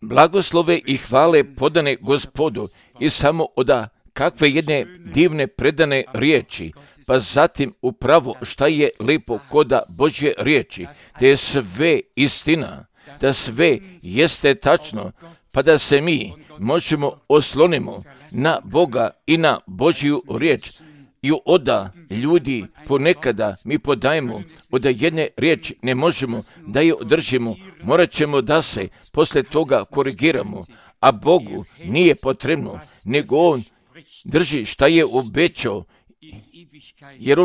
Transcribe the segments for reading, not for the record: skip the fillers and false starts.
Blagoslove i hvale podane Gospodu i samo oda kakve jedne divne predane riječi, pa zatim upravo šta je lepo koda Božje riječi, da je sve istina, da sve jeste tačno, pa da se mi možemo oslonimo na Boga i na Božju riječ. I oda ljudi ponekada mi podajemo, oda jedne riječi ne možemo da je održimo, morat ćemo da se posle toga korigiramo, a Bogu nije potrebno, nego On drži šta je obećao, jer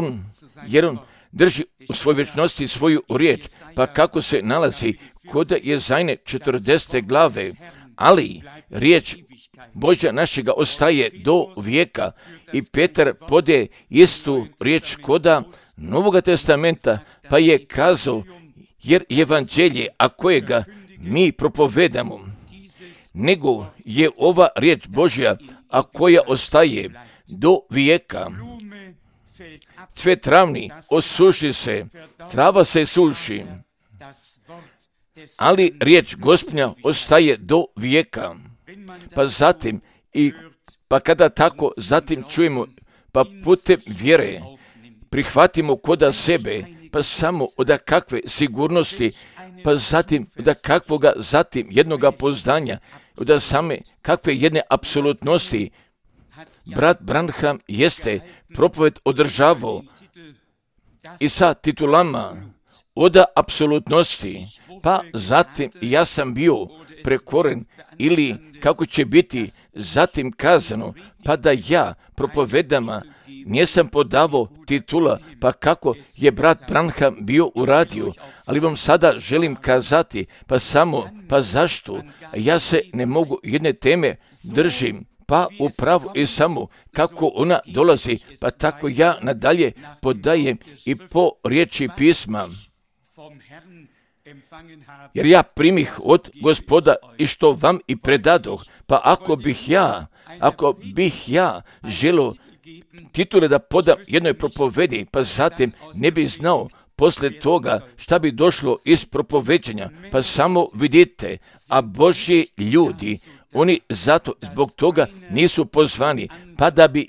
on drži u svojoj vječnosti svoju riječ, pa kako se nalazi kod Jezajne 40. glave, ali riječ Božja našega ostaje do vijeka. I Petar pode istu riječ koda Novoga testamenta, pa je kazao, jer evanđelje, a kojega mi propovedamo, nego je ova riječ Božja, a koja ostaje do vijeka. Cvet travni osuši se, trava se suši, ali riječ Gospodnja ostaje do vijeka. Pa zatim, pa kada tako zatim čujemo, pa putem vjere prihvatimo koda sebe, pa samo od kakve sigurnosti, pa zatim od kakvoga zatim jednoga poznanja, od same kakve jedne apsolutnosti. Brat Branham jeste propoved održavao i sa titulama od apsolutnosti, pa zatim ja sam bio prekoren, ili kako će biti zatim kazano, pa da ja propovedama nisam podavao titula, pa kako je brat Branham bio uradio, ali vam sada želim kazati, pa zašto ja se ne mogu jedne teme držim, pa upravo i samo kako ona dolazi, pa tako ja nadalje podajem i po riječi pisma. Jer ja primih od Gospoda i što vam i predadoh, pa ako bih ja želio titule da podam jednoj propovedi, pa zatim ne bih znao posle toga šta bi došlo iz propoveđenja, pa samo vidite, a Božji ljudi, oni zato zbog toga nisu pozvani, pa da bi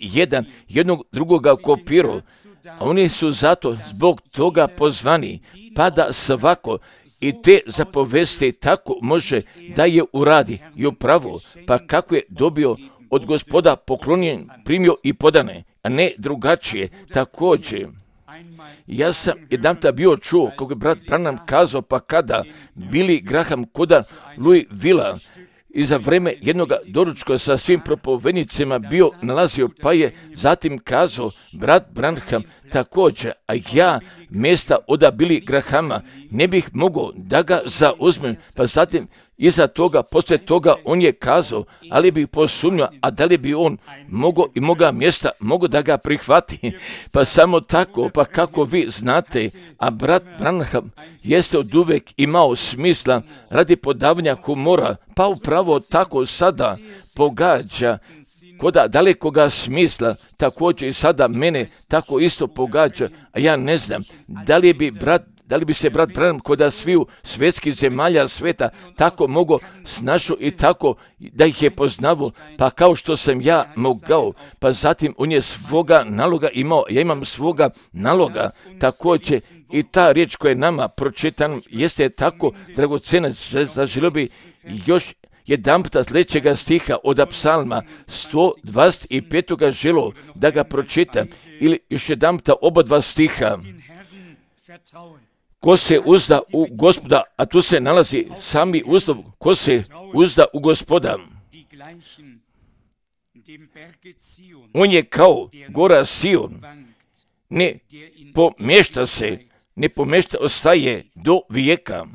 jednog drugoga kopirao, a oni su zato zbog toga pozvani, pa da svako i te zapovesti tako može da je uradi i upravo, pa kako je dobio od Gospoda poklonjen, primio i podane, a ne drugačije. Također, ja sam jedanputa bio čuo, kako je brat Branham kazao, pa kada Billy Graham koda Louis Villa i za vreme jednog doručka sa svim propovednicima bio nalazio, pa je zatim kazao brat Branham također, a ja mjesta od Billy Grahama ne bih mogao da ga zauzmem, pa zatim iza toga, poslije toga on je kazao, ali bih posumnjao, a da li bi on mogao i moga mjesta mogao da ga prihvati, pa samo tako, pa kako vi znate, a brat Branham jeste od uvek imao smisla radi podavanja humora, pa upravo tako sada pogađa koda dalekoga smisla, također i sada mene tako isto pogađa, a ja ne znam, da li bi se brat Branham koda sviju svjetskih zemalja sveta tako mogao snašao i tako da ih je poznavao, pa kao što sam ja mogao, pa zatim on je svoga naloga imao, ja imam svoga naloga, također i ta riječ koja je nama pročitana jeste tako dragocena, zaželio bi još jedanputa sljedećega stiha od psalma 125. želo da ga pročitam, ili još jedanputa oba dva stiha. Ko se uzda u Gospoda, a tu se nalazi sami uslov, ko se uzda u Gospoda, on je kao gora Sion, ne pomješta, ostaje do vijeka.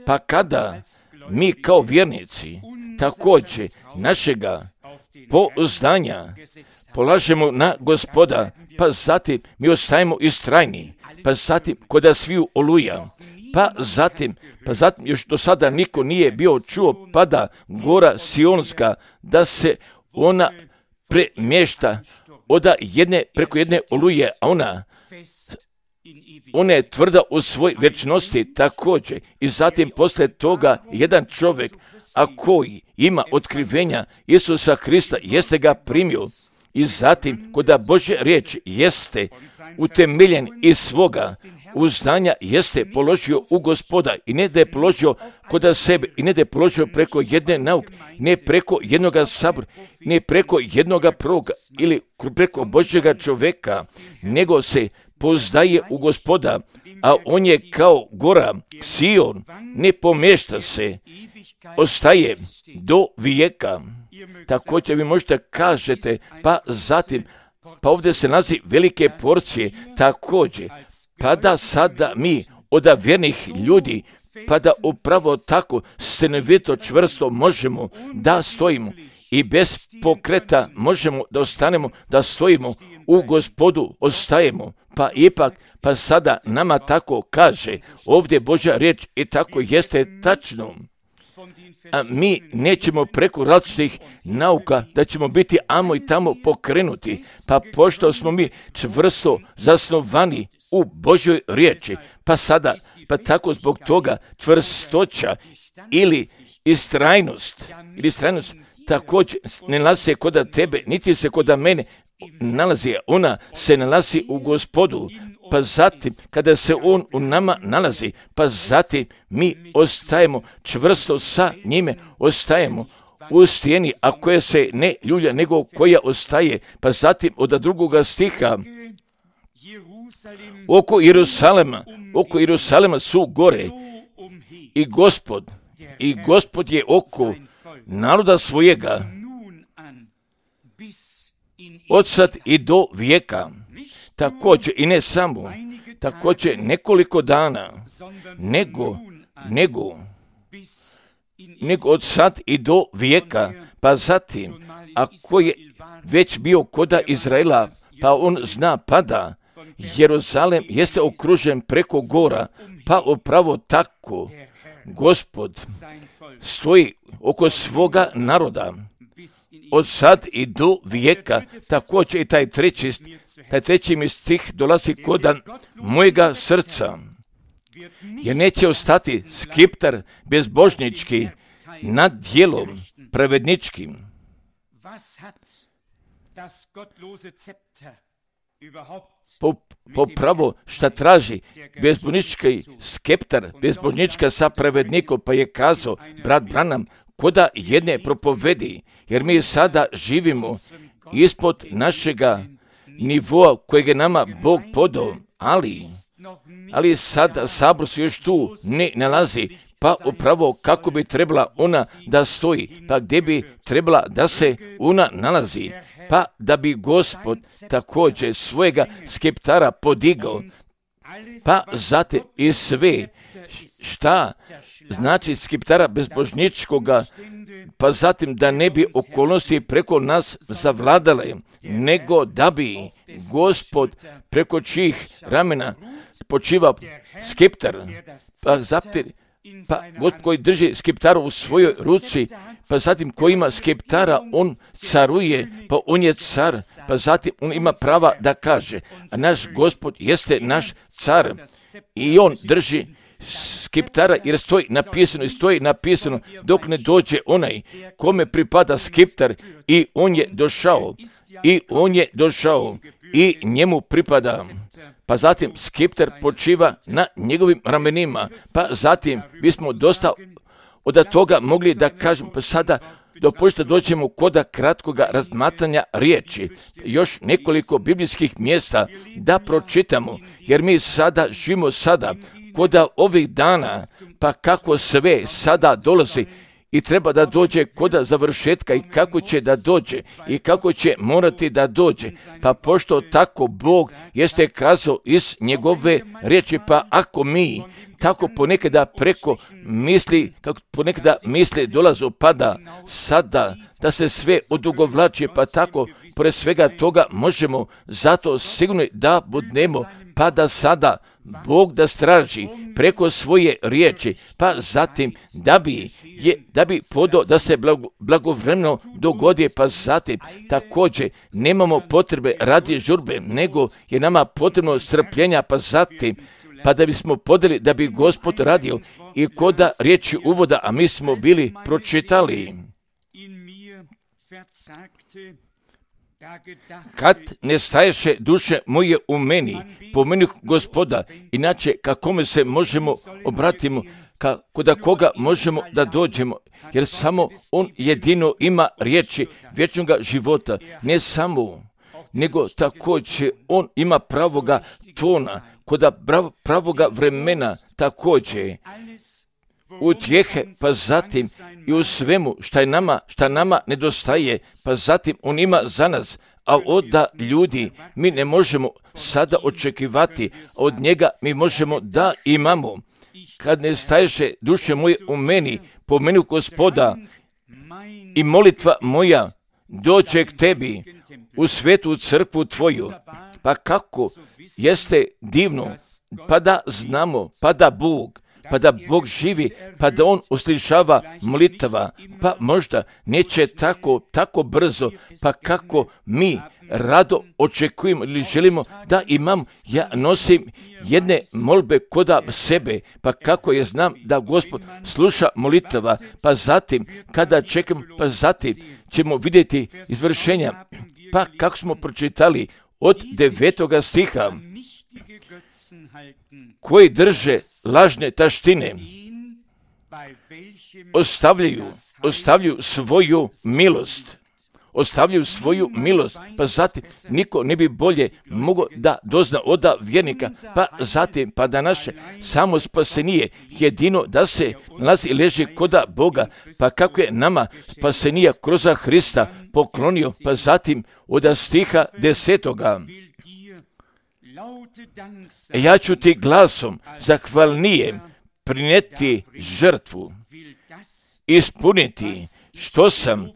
Pa kada mi kao vjernici također našega pouzdanja polažemo na Gospoda, pa zatim mi ostajemo istrajni, pa zatim koda sviju oluja, pa zatim još do sada niko nije bio čuo, pada gora Sionska, da se ona premješta preko jedne oluje, a ona ona je tvrda u svoj vječnosti također. I zatim poslije toga jedan čovjek, a koji ima otkrivenja Isusa Krista, jeste ga primio. I zatim, kada Božja riječ jeste utemeljen iz svoga uznanja, jeste položio u Gospoda, i ne da je položio kod sebe, i ne da je položio preko jedne nauke, ne preko jednoga sabora, ne preko jednoga proroka ili preko Božjega čovjeka, nego se poznaje u Gospoda, a on je kao gora Sion, ne pomješta se, ostaje do vijeka. Također vi možete kažete, pa zatim, pa ovdje se nalazi velike porcije, također, pa da sada mi od vjernih ljudi, pa da upravo tako stanovito čvrsto možemo da stojimo i bez pokreta možemo da ostanemo, da stojimo u Gospodu, ostajemo, pa ipak, pa sada nama tako kaže ovdje Božja riječ i tako jeste tačno. A mi nećemo preko različitih nauka da ćemo biti amo i tamo pokrenuti, pa pošto smo mi čvrsto zasnovani u Božjoj riječi, pa sada, pa tako zbog toga čvrstoća ili istrajnost također ne nalazi se kod tebe, niti se kod mene nalazi, ona se nalazi u Gospodu, pa zatim kada se on u nama nalazi, pa zatim mi ostajemo čvrsto sa njime, ostajemo u stijeni, a koja se ne ljulja, nego koja ostaje, pa zatim od drugoga stiha, oko Jeruzalema su gore i Gospod je oko naroda svojega od sad i do vijeka. Također i ne samo, također nekoliko dana, nego od sad i do vijeka, pa zatim, ako je već bio koda Izraela, pa on zna pada, Jeruzalem jeste okružen preko gora, pa upravo tako Gospod stoji oko svoga naroda, od sad i do vijeka. Također i taj treći mi stih dolazi kod mojega srca, jer neće ostati skiptar bezbožnički nad djelom pravedničkim. Popravo šta traži bezbožnički skeptar, bezbožnička sa pravednikom, pa je kazao brat Branham koda jedne propovedi, jer mi sada živimo ispod našega nivoa kojeg je nama Bog podao, ali sada sabor se još tu ne nalazi, pa upravo kako bi trebala ona da stoji, pa gdje bi trebala da se ona nalazi, pa da bi Gospod također svojega skeptara podigao, pa zatim i sve šta znači skeptara bezbožničkoga, pa zatim da ne bi okolnosti preko nas zavladale, nego da bi Gospod preko čijih ramena počiva skeptar, pa zatim Gospod koji drži skeptara u svojoj ruci, pa zatim koji ima skeptara, on caruje, pa on je car, pa zatim on ima prava da kaže, a naš Gospod jeste naš car i on drži skeptara, jer stoji napisano dok ne dođe onaj kome pripada skeptar, i on je došao i njemu pripada. Pa zatim skeptar počiva na njegovim ramenima, pa zatim bismo dosta od toga mogli da kažem, pa sada dopustite dođemo kod kratkoga razmatranja riječi, još nekoliko biblijskih mjesta da pročitamo, jer mi sada živimo kod ovih dana, pa kako sve sada dolazi i treba da dođe kod završetka i kako će da dođe i kako će morati da dođe. Pa pošto tako Bog jeste kazao iz njegove riječi, pa ako mi tako ponekada preko misli, kako ponekada misli dolazu, pada sada da se sve odugovlači, pa tako pored svega toga možemo zato sigurno da budemo, pa da sada Bog da straži preko svoje riječi, pa zatim da bi podao da se blagovremeno dogodi, pa zatim također nemamo potrebe radi žurbe, nego je nama potrebno strpljenja, pa zatim pa da bismo podeli da bi Gospod radio i koda riječi uvoda, a mi smo bili pročitali. Kad ne staješe duše moje u meni, pomeni Gospoda, inače kakome se možemo obratimo, kod koga možemo da dođemo, jer samo On jedino ima riječi vječnoga života, ne samo, nego također On ima pravoga tona, kod pravoga vremena također, utjehe, pa zatim i u svemu šta nama nedostaje, pa zatim On ima za nas, a od ljudi mi ne možemo sada očekivati, a od njega mi možemo da imamo. Kad ne staješe duše moje u meni, pomeni Gospoda i molitva moja dođe k tebi u svetu crkvu tvoju. Pa kako jeste divno, pa da znamo, pa da Bog živi, pa da On uslišava molitava, pa možda neće tako brzo, pa kako mi rado očekujemo ili želimo da imam, ja nosim jedne molbe koda sebe, pa kako je znam da Gospod sluša molitava, pa zatim kada čekam, pa zatim ćemo vidjeti izvršenja, pa kako smo pročitali od 9. stiha, koji drže lažne taštine, ostavljaju svoju milost, pa zatim niko ne bi bolje mogao da dozna od vjernika, pa zatim pa da naše samo spasenije jedino da se nalazi i leži koda Boga, pa kako je nama spasenija kroz Hrista poklonio, pa zatim od stiha 10. Ja ću ti glasom zahvalnije prineti žrtvu, ispuniti što sam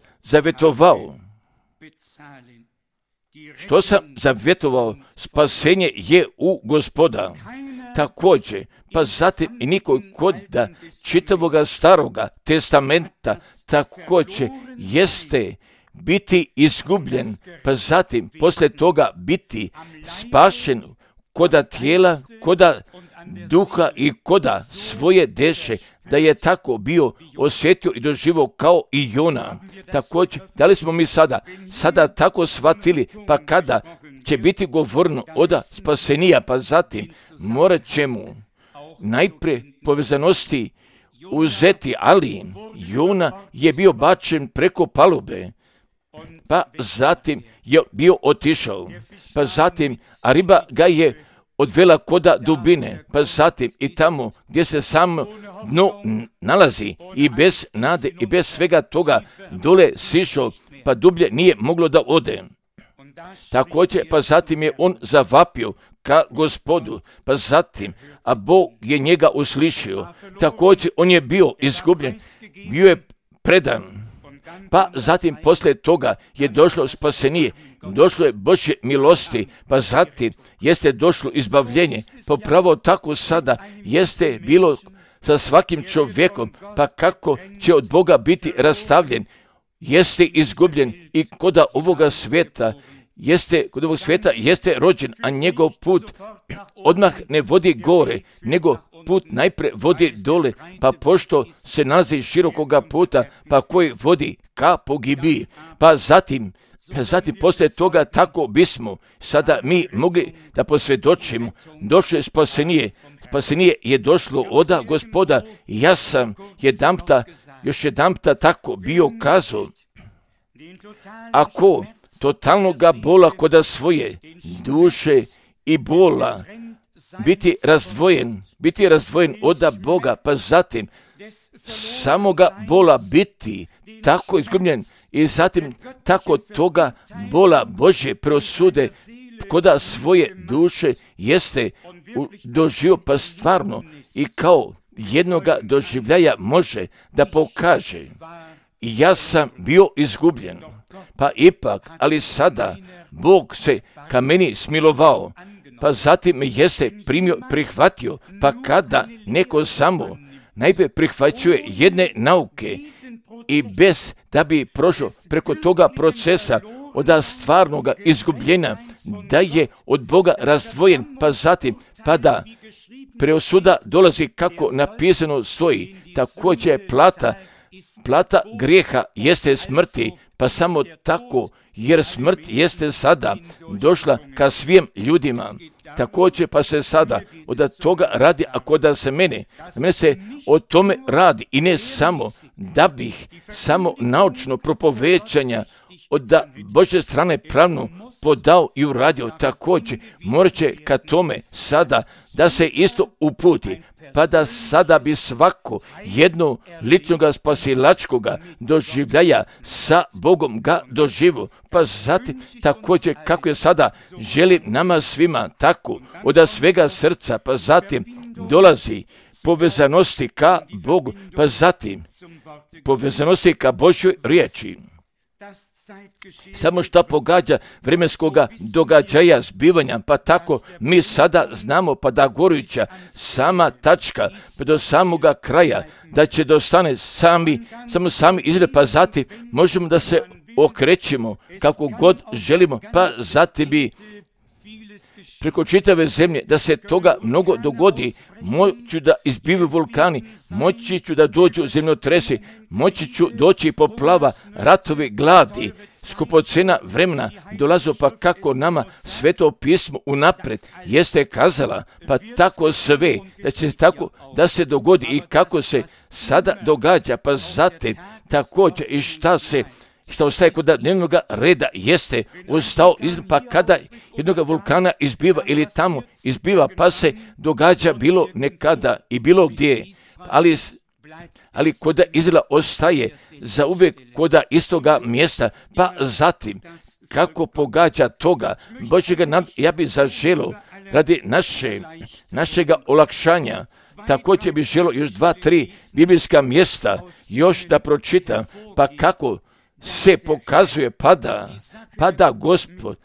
zavjetovao, spasenje je u Gospoda. Također, pa zatim i niko kod čitavoga staroga testamenta također jeste biti izgubljen, pa zatim poslije toga biti spašen koda tijela, koda duha i koda svoje deše, da je tako bio osjetio i doživio kao i Jona. Također, da li smo mi sada tako shvatili, pa kada će biti govorno od spasenija, pa zatim morat ćemo najprije povezanosti uzeti, ali Jona je bio bačen preko palube, pa zatim je bio otišao, pa zatim a riba ga je odvela koda dubine, pa zatim i tamo gdje se samo dno nalazi i bez nade i bez svega toga dole sišao, pa dublje nije moglo da ode. Također, pa zatim je on zavapio ka Gospodu, pa zatim, a Bog je njega uslišio. Također, on je bio izgubljen, bio je predan. Pa zatim poslije toga je došlo spasenije, došlo je Božje milosti, pa zatim jeste došlo izbavljenje, pa pravo tako sada jeste bilo sa svakim čovjekom, pa kako će od Boga biti rastavljen, jeste izgubljen i kod ovog svijeta jeste rođen, a njegov put odmah ne vodi gore, nego put najprije vodi dole, pa pošto se nalazi širokoga puta, pa koji vodi ka pogibiji, pa zatim poslije toga tako bismo sada mi mogli da posvjedočimo, došlo je spasenije je došlo od Gospoda. Ja sam još jedanpta tako bio kazao, ako totalnoga bola koda svoje duše i bola biti razdvojen od Boga, pa zatim samoga bola biti tako izgubljen i zatim tako toga bola Božje preosude koda svoje duše jeste doživio, pa stvarno i kao jednoga doživljaja može da pokaže, ja sam bio izgubljen, pa ipak, ali sada Bog se ka meni smilovao, pa zatim me jeste primio, prihvatio, pa kada neko samo najprije prihvaćuje jedne nauke i bez da bi prošao preko toga procesa od stvarnoga izgubljenja, da je od Boga razdvojen, pa zatim pa da preosuda dolazi kako napisano stoji. Također plata grijeha jeste smrti, pa samo tako, jer smrt jeste sada došla ka svim ljudima. Također pa se sada od toga radi, ako da se mene se o tome radi i ne samo da bih samo naučno propovećanja od Božje strane pravno podao i uradio. Također morat će ka tome sada da se isto uputi, pa da sada bi svako jedno ličnoga spasilačkoga doživljaja sa Bogom ga doživu, pa zatim također kako je sada želi nama svima tako od svega srca, pa zatim dolazi povezanosti ka Bogu, pa zatim povezanosti ka Božjoj riječi. Samo što pogađa vremenskoga događaja zbivanja, pa tako mi sada znamo pa da gorujuća sama tačka pa do samoga kraja, da će dostane sami izgled, pa zatim možemo da se okrećemo kako god želimo, pa zatim bi preko čitave zemlje da se toga mnogo dogodi. Moću da izbivaju vulkani, moći ću da dođu zemljotresi, moći ću doći poplava, ratovi, gladi, skupocena vremena dolazo, pa kako nama Sveto pismo unapred jeste kazala, pa tako sve da će tako da se dogodi i kako se sada događa, pa zatim također i što ostaje kod dnevnog reda jeste ostao, pa kada jednoga vulkana izbiva ili tamo izbiva, pa se događa bilo nekada i bilo gdje, ali koda Izraela ostaje za uvijek koda istoga mjesta, pa zatim kako pogađa toga Božjega, ja bih zaželio radi našega olakšanja, također bih želio još 2-3 biblijska mjesta još da pročitam, pa kako se pokazuje pada Gospod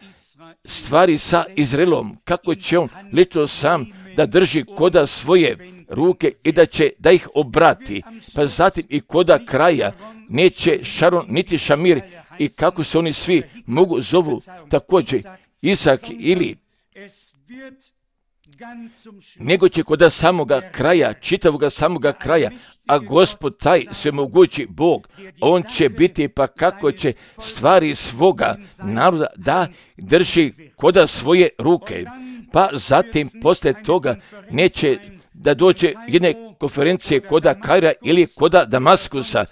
stvari sa Izraelom, kako će on lično sam da drži koda svoje ruke i da ih obrati, pa zatim i koda kraja neće Šaron niti Šamir i kako se oni svi mogu zovu također Isak ili nego će koda samoga kraja, čitavoga samoga kraja, a Gospod taj svemogući Bog, on će biti pa kako će stvari svoga naroda da drži koda svoje ruke, pa zatim poslije toga neće da dođe jedne konferencije koda Kaira ili koda Damaskusa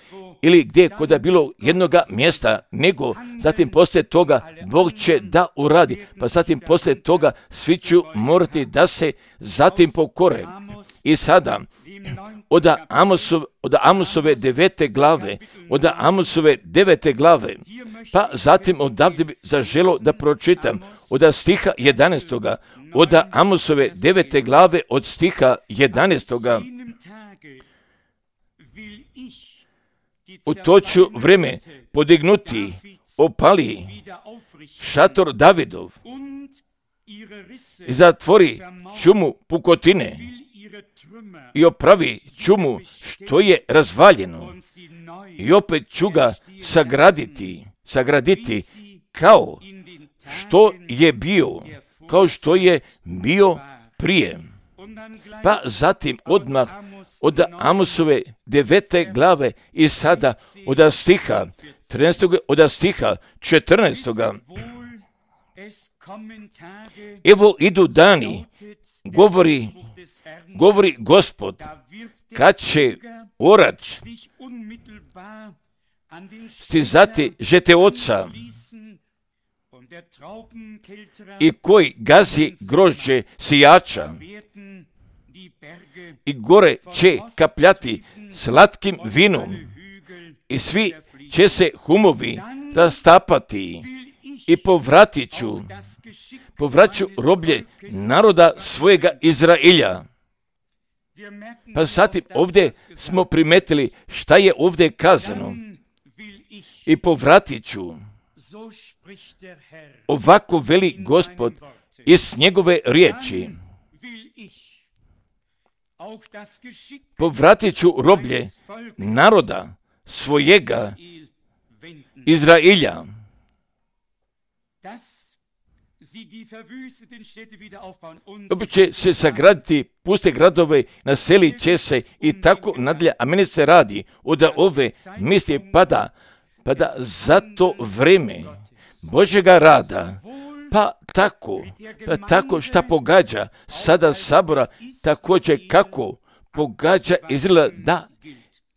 ili gdje koda bilo jednoga mjesta, nego zatim poslije toga Bog će da uradi, pa zatim poslije toga svi će morati da se zatim pokore. I sada od Amosove 9. glave, pa zatim odavde bi zaželo da pročitam od stiha 11. od Amosove 9. glave od stiha 11. U to ću vreme podignuti, opali šator Davidov i zatvori čumu pukotine i opravi čumu što je razvaljeno i opet ću ga sagraditi kao što je bio prije. Pa zatim odmah od Amosove 9. glave i sada od stiha 13. od stiha 14. Evo idu dani, govori Gospod, kad će orač stizati žete oca i koji gazi grožđe sijača i gore će kapljati slatkim vinom i svi će se humovi rastapati i povraću roblje naroda svojega Izrailja. Pa zatim ovdje smo primetili šta je ovdje kazano i povratit ću. Ovako veli Gospod, iz njegove riječi. Povratit ću roblje naroda svojega Izrailja. Opet će se sagraditi puste gradove, naselit će se i tako nadalje, a meni se radi od ove misli pada za to vreme Božjega rada, pa tako šta pogađa sada sabora, također kako pogađa Izraela, da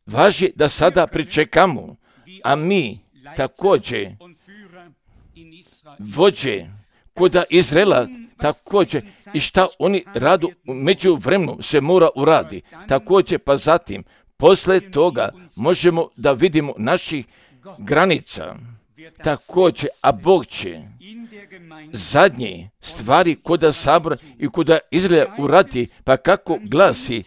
važi da sada pričekamo, a mi također vođe kod Izraela također i šta oni radu među vremenu se mora uradi. Također pa zatim, posle toga možemo da vidimo naših granica. Također, a Bog će zadnje stvari koda sabora i koda Izraela uradi, pa kako glasi: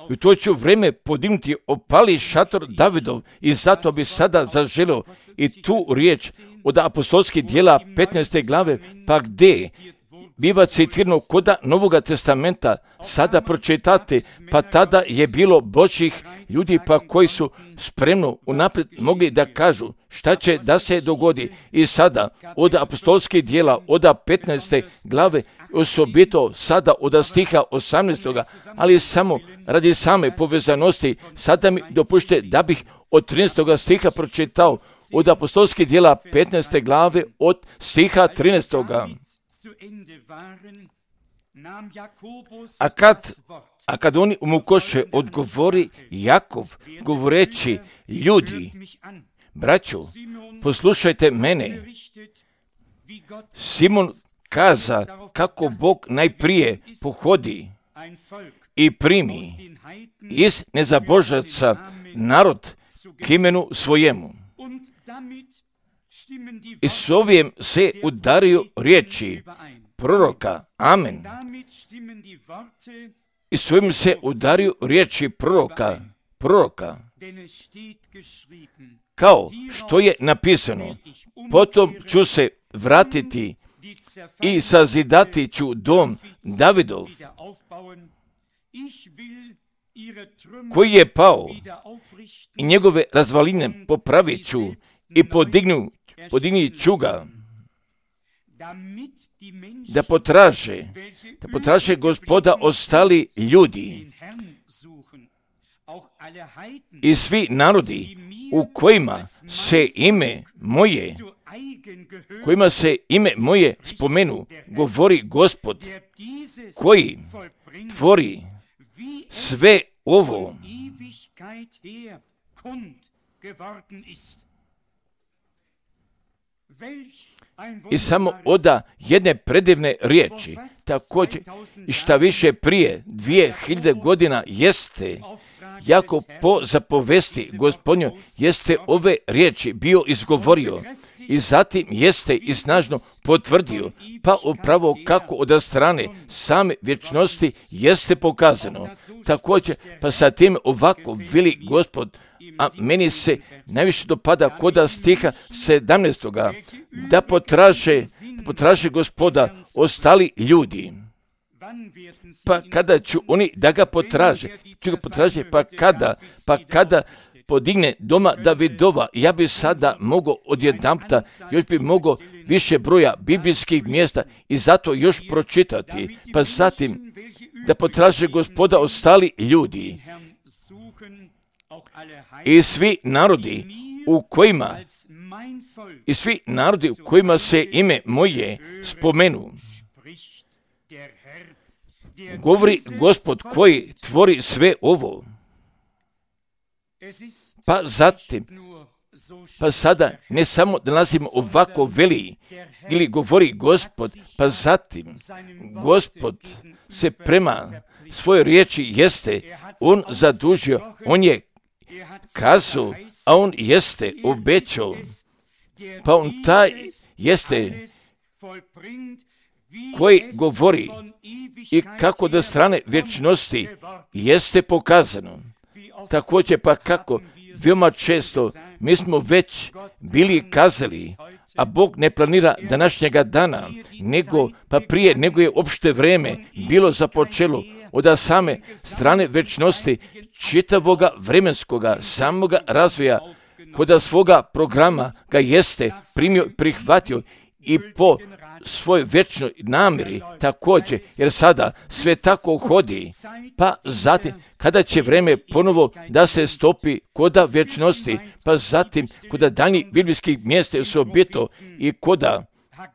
u to ću vreme podignuti opali šator Davidov, i zato bi sada zaželio i tu riječ od apostolskih djela 15. glave, pa gdje biva citirano koda Novoga testamenta, sada pročitate, pa tada je bilo Božjih ljudi pa koji su spremno unaprijed mogli da kažu šta će da se dogodi. I sada od apostolskih djela od 15. glave, osobito sada od stiha 18. ali samo radi same povezanosti, sada mi dopušte da bih od 13. stiha pročitao od apostolskih djela 15. glave od stiha 13. A kad oni umukoše, odgovori Jakov, govoreći: ljudi, braćo, poslušajte mene. Simon kaza kako Bog najprije pohodi i primi iz nezabožaca narod k imenu svojemu. I s ovim se udaraju riječi proroka. Amen. I s ovim se udaraju riječi proroka. Kao što je napisano: potom ću se vratiti i sazidati ću dom Davidov, koji je pao, i njegove razvaline popravit ću i podignut ću ga, da potraže Gospoda ostali ljudi i svi narodi u kojima se ime moje spomenu, govori Gospod, koji tvori sve ovo. I samo oda jedne predivne riječi, također i šta više prije 2000 godina jeste, jako po zapovesti Gospodnjoj jeste ove riječi bio izgovorio i zatim jeste i snažno potvrdio, pa upravo kako od strane same vječnosti jeste pokazano. Također, pa sa tim ovako veli Gospod, a meni se najviše dopada koda stiha 17. da potraže Gospoda ostali ljudi. Pa kada ću oni da ga potraže, pa kada podigne doma Davidova, ja bi sada mogao odjedanputa, još bi mogao više broja biblijskih mjesta i zato još pročitati, pa zatim da potraže Gospoda ostali ljudi i svi narodi u kojima se ime moje spomenu. Govori Gospod koji tvori sve ovo. Pa zatim, pa sada ne samo da nazivamo ovako veli ili govori Gospod, pa zatim Gospod se prema svojoj riječi jeste, on zadužio, on je kazao, a on jeste obećao, pa on taj jeste koji govori i kako do strane vječnosti jeste pokazano. Također pa kako veoma često mi smo već bili kazali, a Bog ne planira današnjega dana, nego pa prije nego je opšte vreme bilo započelo od same strane večnosti čitavoga vremenskoga samoga razvoja, kod svoga programa ga jeste primio, prihvatio i po svoj večnoj namjeri također, jer sada sve tako hodi, pa zatim kada će vreme ponovo da se stopi koda večnosti, pa zatim koda daljnjih biblijskih mjesta su objeto i koda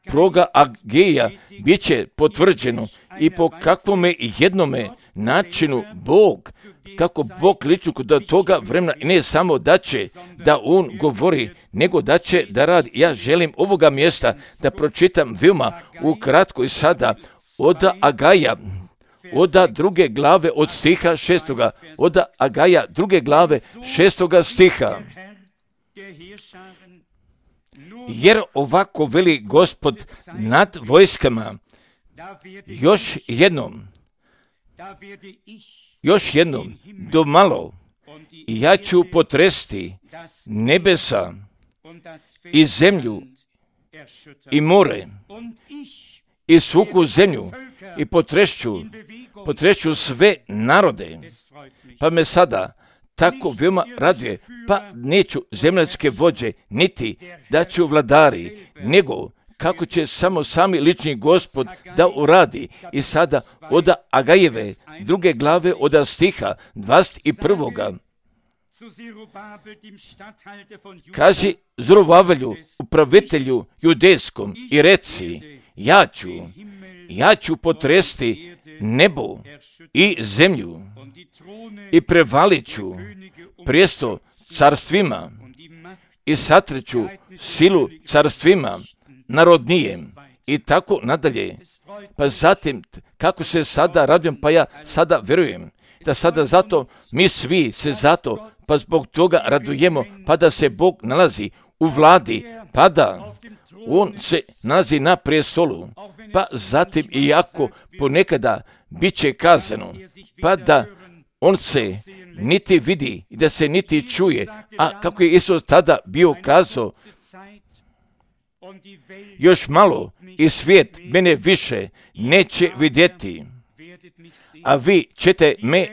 proga Ageja bit će potvrđeno i po kakvome jednome načinu Bog, kako Bog liči kod toga vremena, ne samo da će da On govori, nego da će da radi. Ja želim ovoga mjesta da pročitam veoma ukratko i sada od Agaja, od 2. glave od stiha 6. Od Agaja 2. glave 6. stiha. Jer ovako veli Gospod nad vojskama, još jednom, do malo, ja ću potresti nebesa i zemlju i more i suhu zemlju i potrešću sve narode. Pa me sada tako veoma raduje, pa neću zemljatske vođe, niti da ću vladari, nego kako će samo sami lični Gospod da uradi. I sada od Agajeve 2. glave od stiha 21. Kaži Zorobabelu, upravitelju judejskom, i reci, ja ću potresti nebo i zemlju i prevalit ću prijesto carstvima i satreću silu carstvima narodnijem i tako nadalje. Pa zatim, kako se sada radujem, pa ja sada vjerujem da sada zato mi svi se zato, pa zbog toga radujemo, pa da se Bog nalazi u vladi, pa da On se nalazi na prijestolu, pa zatim iako ponekada bit će kazano, pa da On se niti vidi i da se niti čuje, a kako je Isus tada bio kazao, još malo i svijet mene više neće vidjeti, a vi ćete me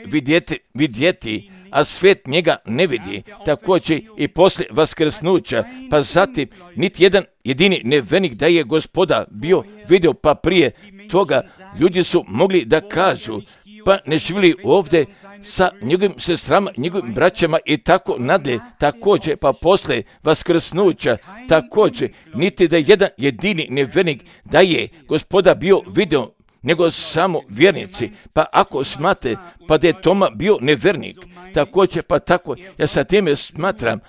vidjeti, a svijet njega ne vidi. Također i poslije vaskrsnuća, pa zatim niti jedan jedini nevjernik da je Gospoda bio vidio, pa prije toga ljudi su mogli da kažu, pa ne živjeli ovdje sa njegovim sestrama, njegovim braćama i tako nadalje. Također, pa poslije vaskrsnuća, također, niti da jedan jedini nevjernik da je Gospoda bio vidio, nego samo vjernici. Pa ako smate, pa da je Toma bio nevjernik, također, pa tako, ja sa time smatram,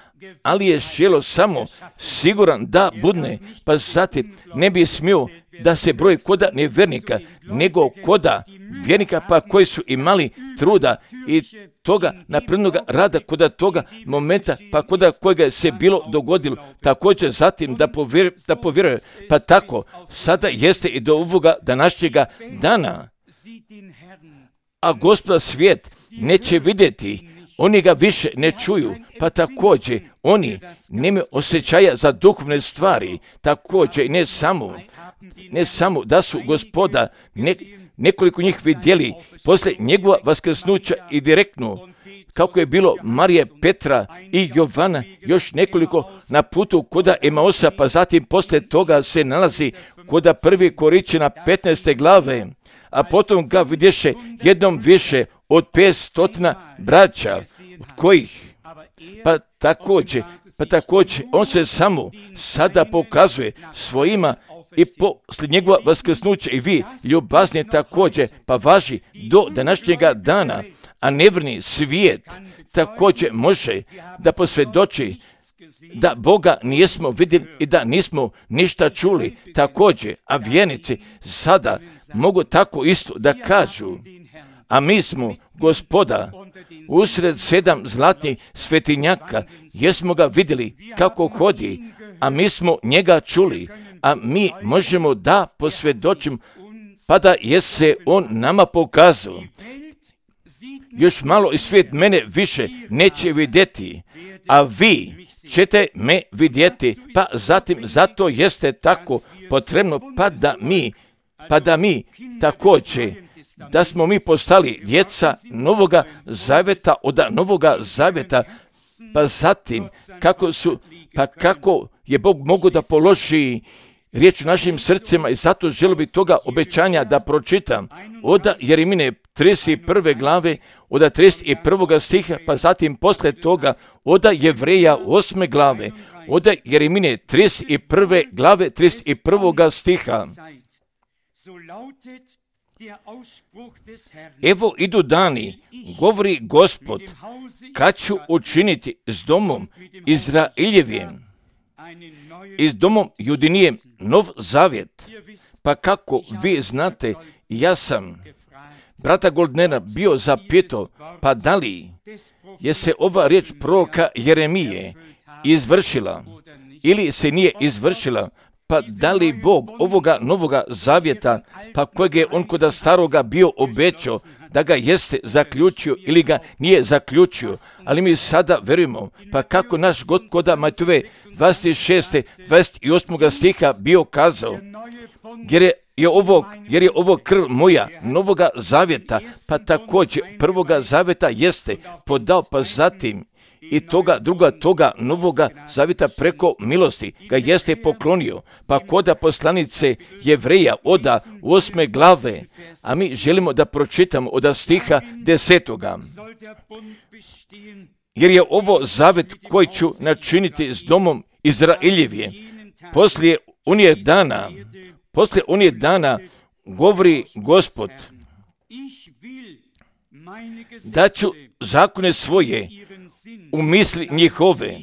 ali je želo samo siguran da budne, pa zatim ne bi smio da se broji koda nevjernika, nego koda vjernika, pa koji su imali truda i toga naprednoga rada koda toga momenta, pa koda kojega se bilo dogodilo, također zatim da povjeruje, pa tako sada jeste i do ovoga današnjega dana. A Gospoda svijet neće vidjeti, oni ga više ne čuju, pa također oni nemaju osjećaja za duhovne stvari, također ne samo da su Gospoda nekoliko njih vidjeli poslije njegova vaskrsnuća i direktno, kako je bilo Marije, Petra i Jovana, još nekoliko na putu koda Emaosa, pa zatim poslije toga se nalazi koda 1. Korinćana 15. glave, a potom ga vidješe jednom više od 500 braća, od kojih, pa također, on se samo sada pokazuje svojima i poslije njegova vaskrsnuća i vi, ljubazni također, pa važi do današnjega dana, a nevjerni svijet također može da posvjedoči da Boga nismo vidjeli i da nismo ništa čuli također, a vjernici sada mogu tako isto da kažu, a mi smo Gospoda usred 7 zlatnih svetinjaka, jesmo ga vidjeli kako hodi, a mi smo njega čuli, a mi možemo da posvjedočimo, pa da je se on nama pokazao. još malo i svijet mene više neće vidjeti, a vi ćete me vidjeti, pa zatim zato jeste tako potrebno, pa da mi također, da smo mi postali djeca Novoga Zaveta, od Novoga Zaveta, pa zatim kako je Bog mogu da položi riječ u našim srcima, i zato želio bi toga obećanja da pročitam od Jeremine 31. glave, od 31. stiha, pa zatim posle toga od Jevreja 8. glave, od Jeremine 31. glave 31. stiha. Evo idu dani, govori Gospod, kad ću učiniti s domom Izraeljevim i s domom Judinijem nov zavjet. Pa kako vi znate, ja sam brata Goldnera bio zapitao, pa da li je se ova riječ proroka Jeremije izvršila ili se nije izvršila, pa da li Bog ovoga Novoga Zavjeta, pa kojeg je on kod staroga bio obećao, da ga jeste zaključio ili ga nije zaključio, ali mi sada verujemo, pa kako naš God koda Matove 26. 28. stiha bio kazao, jer je ovo krv moja Novoga Zavjeta, pa također Prvoga Zavjeta jeste podao, pa zatim i toga Novoga Zavjeta preko milosti ga jeste poklonio, pa koda poslanice Jevreja od 8. glave, a mi želimo da pročitamo od stiha 10. Jer je ovo zavjet koji ću načiniti s domom Izraeljevije. Poslije onih dana govori Gospod, da ću zakone svoje u misli njihove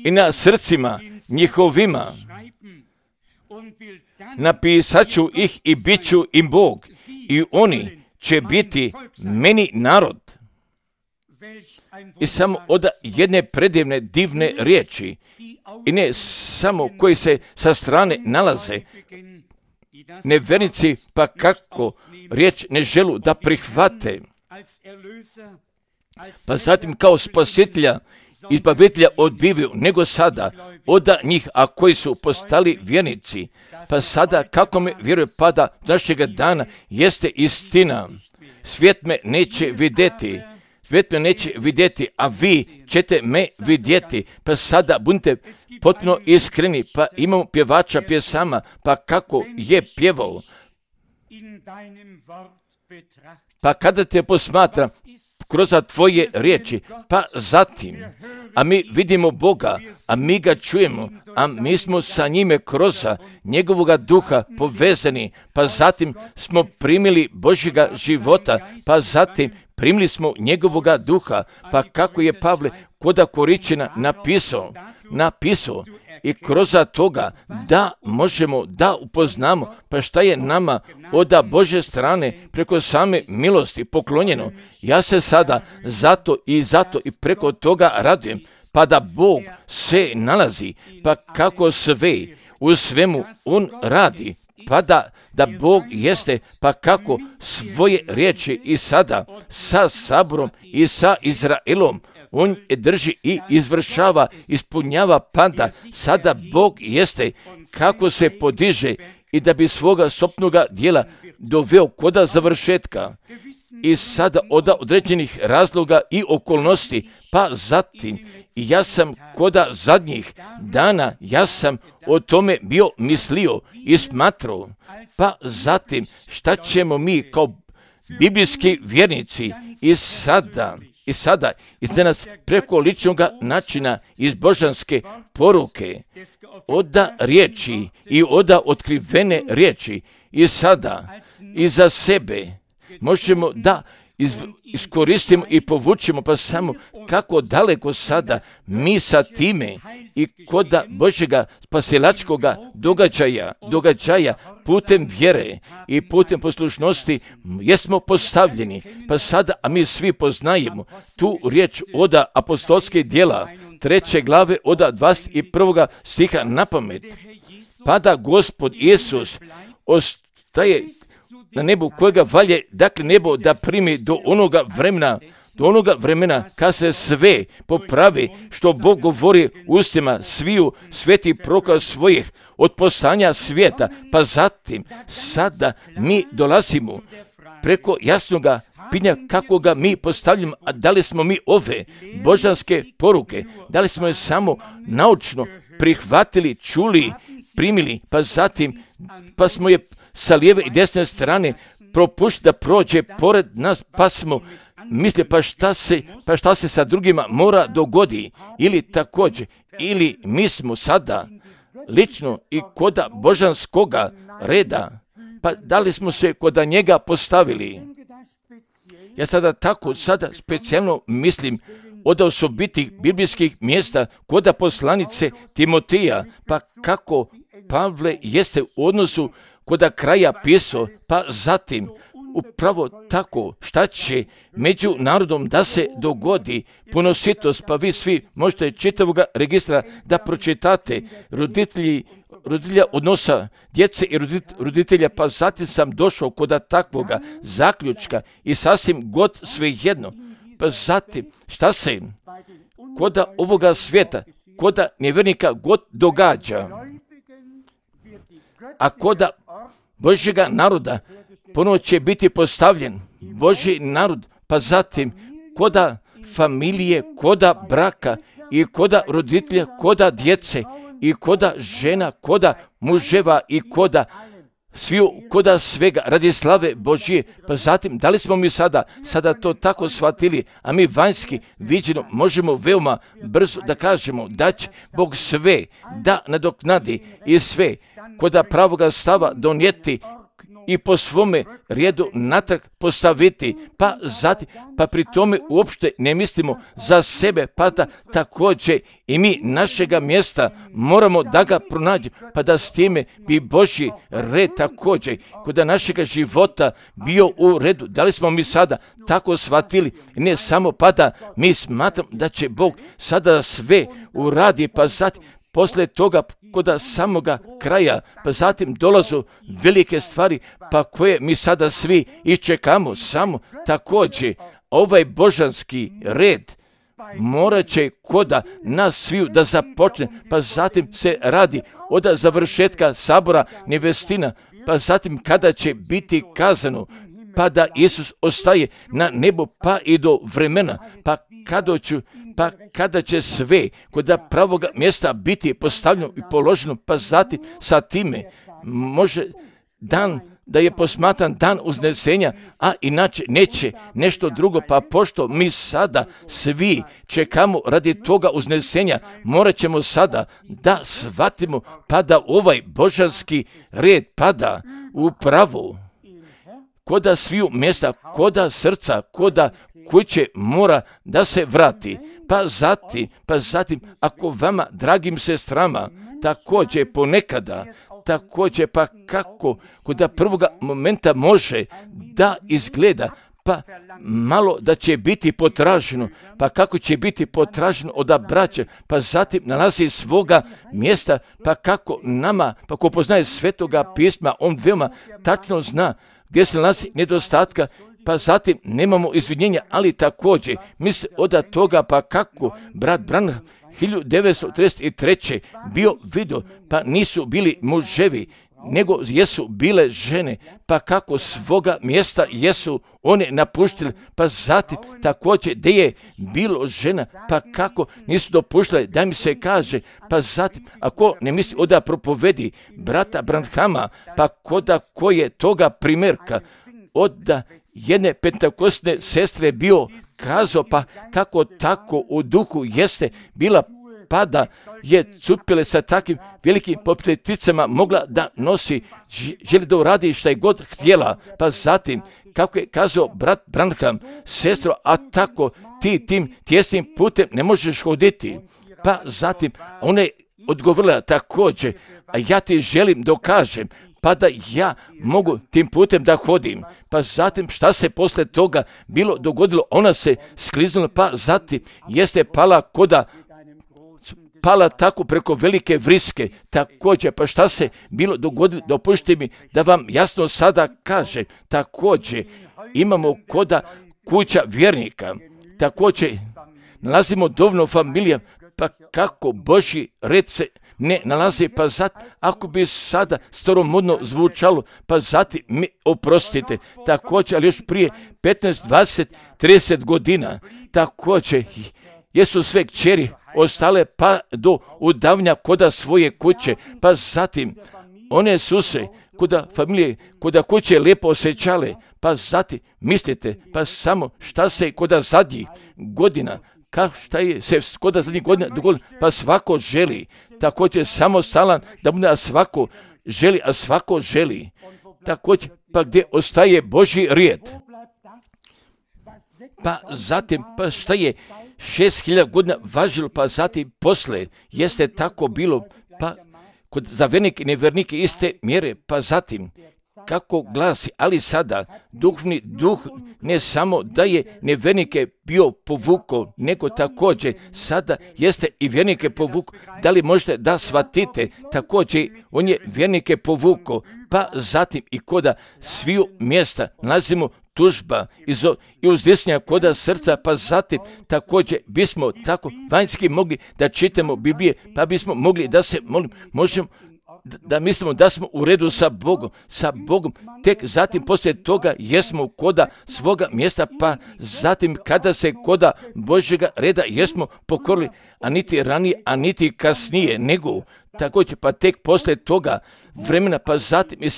i na srcima njihovima napisat ću ih i bit ću im Bog, i oni će biti meni narod. I samo od jedne predivne, divne riječi, i ne samo koji se sa strane nalaze nevernici, pa kako riječ ne želu da prihvate, pa zatim kao spasitelja, izbavitelja odbivaju, nego sada od njih, a koji su postali vjernici, pa sada kako me vjeruje, pa da našega dana jeste istina. Svijet me neće vidjeti, a vi ćete me vidjeti, pa sada budite potpuno iskreni, pa imamo pjevača pjesama, pa kako je pjevao, pa kada te posmatram kroz tvoje riječi, pa zatim, a mi vidimo Boga, a mi ga čujemo, a mi smo sa njime kroz njegovoga duha povezani, pa zatim smo primili Božjega života, pa zatim primili smo njegovoga duha, pa kako je Pavle koda Koričina napisao, i kroz toga da možemo da upoznamo, pa šta je nama od Božje strane preko same milosti poklonjeno. Ja se sada zato i preko toga radujem, pa da Bog se nalazi, pa kako sve u svemu on radi, pa da Bog jeste, pa kako svoje riječi i sada sa saborom i sa Izraelom on je drži i izvršava, ispunjava, pa da sada Bog jeste kako se podiže i da bi svoga sopnoga dijela doveo koda završetka. I sada od određenih razloga i okolnosti, pa zatim i ja sam koda zadnjih dana, ja sam o tome bio mislio i smatrao, pa zatim šta ćemo mi kao biblijski vjernici i sada iz nas preko ličnog načina iz božanske poruke, od riječi i od otkrivene riječi i sada i za sebe možemo da iskoristimo i povučemo, pa samo kako daleko sada mi sa time i koda Božjega spasilačkoga događaja putem vjere i putem poslušnosti jesmo postavljeni, pa sada, a mi svi poznajemo tu riječ od apostolske djela 3. glave od 21. stiha na pamet, pa da Gospod Isus ostaje na nebu kojega valje, dakle nebo da primi do onoga vremena kad se sve popravi što Bog govori ustima sviju svetih proroka svojih od poslanja svijeta, pa zatim sada mi dolazimo preko jasnoga pitanja kako ga mi postavljamo, a da li smo mi ove božanske poruke, da li smo je samo naučno prihvatili, čuli, primili, pa zatim pa smo je sa lijeve i desne strane propuštili da prođe pored nas, pa smo misle pa šta se sa drugima mora dogodi, ili također, ili mi smo sada lično i koda božanskoga reda, pa da li smo se koda njega postavili. Ja sada specijalno mislim od osobitih biblijskih mjesta koda poslanice Timotija, pa kako Pavle jeste u odnosu koda kraja pisao, pa zatim upravo tako šta će među narodom da se dogodi punositost, pa vi svi možete čitavoga registra da pročitate roditelja odnosa djece i roditelja, pa zatim sam došao koda takvoga zaključka i sasvim god svejedno, pa zatim šta se koda ovoga svijeta, koda nevjernika god događa, a koda Božjega naroda ponovo će biti postavljen Božji narod, pa zatim koda familije, koda braka i koda roditelja, koda djece i koda žena, koda muževa i koda sviju, koda svega radi slave Božje. Pa zatim, da li smo mi sada to tako shvatili, a mi vanjski viđeno možemo veoma brzo da kažemo da će Bog sve da nadoknadi i sve koda pravoga stava donijeti i po svome redu natrag postaviti, pa zatim, pa pri tome uopšte ne mislimo za sebe, pa da također i mi našega mjesta moramo da ga pronađemo, pa da s time bi Božji red također kod našega života bio u redu. Da li smo mi sada tako shvatili? Ne samo pa da mi smatramo da će Bog sada sve uradi, pa zatim poslije toga kod samoga kraja, pa zatim dolazu velike stvari, pa koje mi sada svi iščekamo, samo također ovaj božanski red morat će koda nas sviju da započne, pa zatim se radi od završetka sabora nevestina, pa zatim kada će biti kazano, pa da Isus ostaje na nebu pa i do vremena, pa kada će sve kod pravoga mjesta biti postavljeno i položeno, pa zatim sa time može dan da je posmatran dan uznesenja, a inače neće nešto drugo, pa pošto mi sada svi čekamo radi toga uznesenja, morat ćemo sada da shvatimo pa da ovaj božanski red pada u pravu koda sviju mjesta, koda srca, koda kuće mora da se vrati. Pa zatim, ako vama, dragim sestrama, također ponekada, također pa kako kod prvoga momenta može da izgleda, pa malo da će biti potraženo, pa kako će biti potraženo od braće, pa zatim nalazi svoga mjesta, pa kako nama, pa ko poznaje svetoga pisma, on veoma tačno zna gdje se nalazi nedostatka, pa zatim nemamo izvinjenja, ali također misli od toga pa kako brat Branham 1933. bio vidio, pa nisu bili muževi, nego jesu bile žene, pa kako svoga mjesta jesu one napuštili, pa zatim također gdje je bilo žena, pa kako nisu dopuštile da mi se kaže, pa zatim ako ne misli da propovedi brata Branhama, pa koda koje toga primjerka od jedne pentakostne sestre bio kazao, pa kako tako u duhu jeste bila, pa da je cupile sa takvim velikim popleticama mogla da nosi, želi da uradi šta je god htjela, pa zatim kako je kazao brat Branham, sestro, a tako ti tim tjesnim putem ne možeš hoditi, pa zatim ona je odgovorila također, a ja ti želim dokažem, pa da ja mogu tim putem da hodim. Pa zatim šta se posle toga bilo dogodilo, ona se skliznula, pa zatim jeste pala pala tako preko velike vriske. Također, pa šta se bilo dogodilo, dopustite mi da vam jasno sada kaže. Također, imamo koda kuća vjernika. Također, nalazimo dovoljno familija, pa kako Božji red se ne nalazi, pa ako bi sada staromodno zvučalo, pa zatim mi oprostite, također, ali još prije 15, 20, 30 godina, također, jesu sve kćeri ostale pa do udavanja koda svoje kuće, pa zatim one su se koda familije, koda kuće lijepo osjećale, pa zatim mislite, pa samo šta se koda zadnjih godina, šta je se koda zadnjih godina dogodilo, pa svako želi, također samostalan da bude, a svako želi, također, pa gdje ostaje Božji rijed, pa zatim, pa šta je 6000 godina važilo, pa zatim posle jeste tako bilo, pa kod za vernike i nevernike iste mjere, pa zatim kako glasi, ali sada duhovni duh ne samo da je nevernike bio povukao, nego također sada jeste i vjernike povukao. Da li možete da shvatite, također on je vjernike povukao, pa zatim i koda sviju mjesta nalazimo tužba i uzdisnja koda srca, pa zatim također bismo tako vanjski mogli da čitamo Biblije, pa bismo mogli da se možemo da mislimo da smo u redu sa Bogom, tek zatim poslije toga jesmo koda svoga mjesta, pa zatim kada se koda Božjega reda jesmo pokorili, a niti ranije, a niti kasnije, nego također pa tek poslije toga vremena, pa zatim i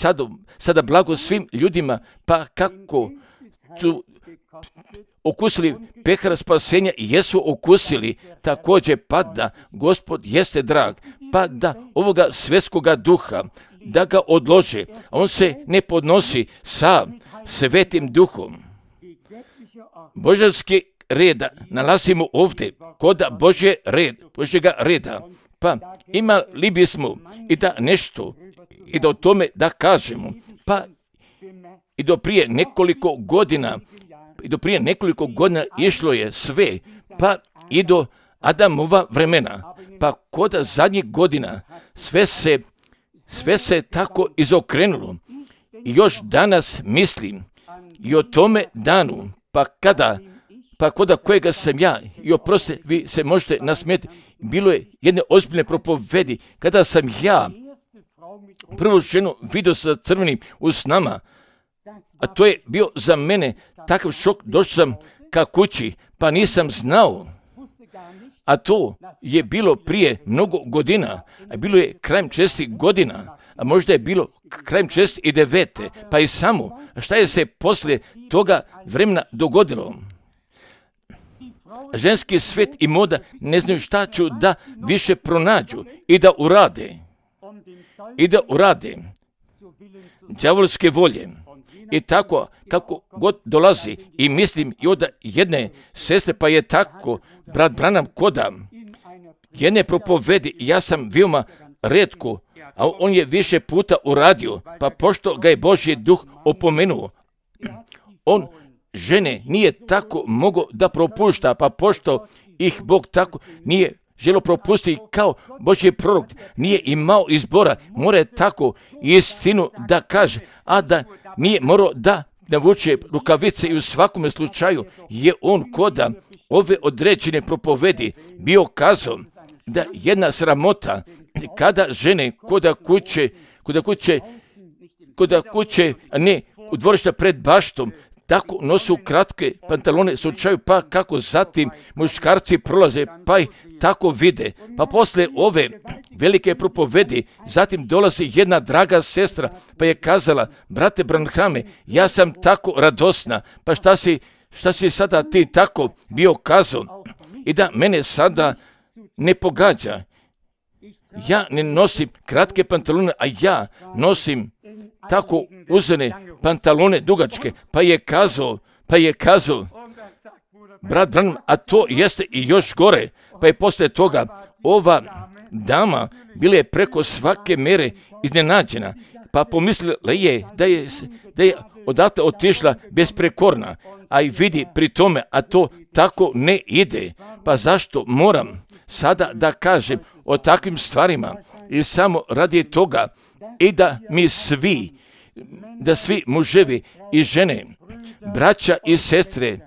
sada blago svim ljudima, pa kako su okusili pehara spasenja i jesu okusili, također pa da Gospod jeste drag, pa da ovoga svjetskoga duha, da ga odlože, a on se ne podnosi sa svetim duhom. Božanski reda nalazimo ovdje, koda Božjega reda, pa imali bismo i da nešto, i da o tome da kažemo, pa i do prije nekoliko godina išlo je sve, pa i do Adamova vremena, pa koda zadnjih godina sve se tako izokrenulo. I još danas mislim i o tome danu, pa koda kojega sam ja, i oprostite, vi se možete nasmijeti, bilo je jedne ozbiljne propovedi, kada sam ja prvu ženu vidio sa crvenim usnama, a to je bio za mene takav šok, došao sam ka kući, pa nisam znao, a to je bilo prije mnogo godina, a bilo je krajem 60 godina, a možda je bilo krajem 69, pa i samo, šta je se poslije toga vremena dogodilo? Ženski svet i moda ne znaju šta ću da više pronađu i da urade đavolske volje. I tako, kako god dolazi, i mislim i od jedne sestre, pa je tako, brat Branham koda jedne propovedi, ja sam veoma retko, a on je više puta uradio, pa pošto ga je Božji duh opomenuo, on žene nije tako mogao da propušta, pa pošto ih Bog tako nije želo propustiti kao Božji prorok, nije imao izbora, mora tako istinu da kaže, a da nije morao da navuče rukavice, i u svakome slučaju je on koda ove određene propovedi bio kazao da jedna sramota kada žene koda kuće ne u dvorišta pred baštom tako nosu kratke pantalone slučaju, pa kako zatim muškarci prolaze pa ih tako vide, pa posle ove velike propovedi zatim dolazi jedna draga sestra pa je kazala, brate Branhame, ja sam tako radosna, pa šta si sada ti tako bio kazao, i da mene sada ne pogađa, ja ne nosim kratke pantalone, a ja nosim tako uzene pantalone dugačke, pa je kazao, brat Branham, a to jeste i još gore, pa je poslije toga ova dama bila je preko svake mere iznenađena, pa pomislila je da je odatle otišla besprekorna, a i vidi pri tome, a to tako ne ide, pa zašto moram sada da kažem o takvim stvarima i samo radi toga i da mi svi, da svi muževi i žene, braća i sestre,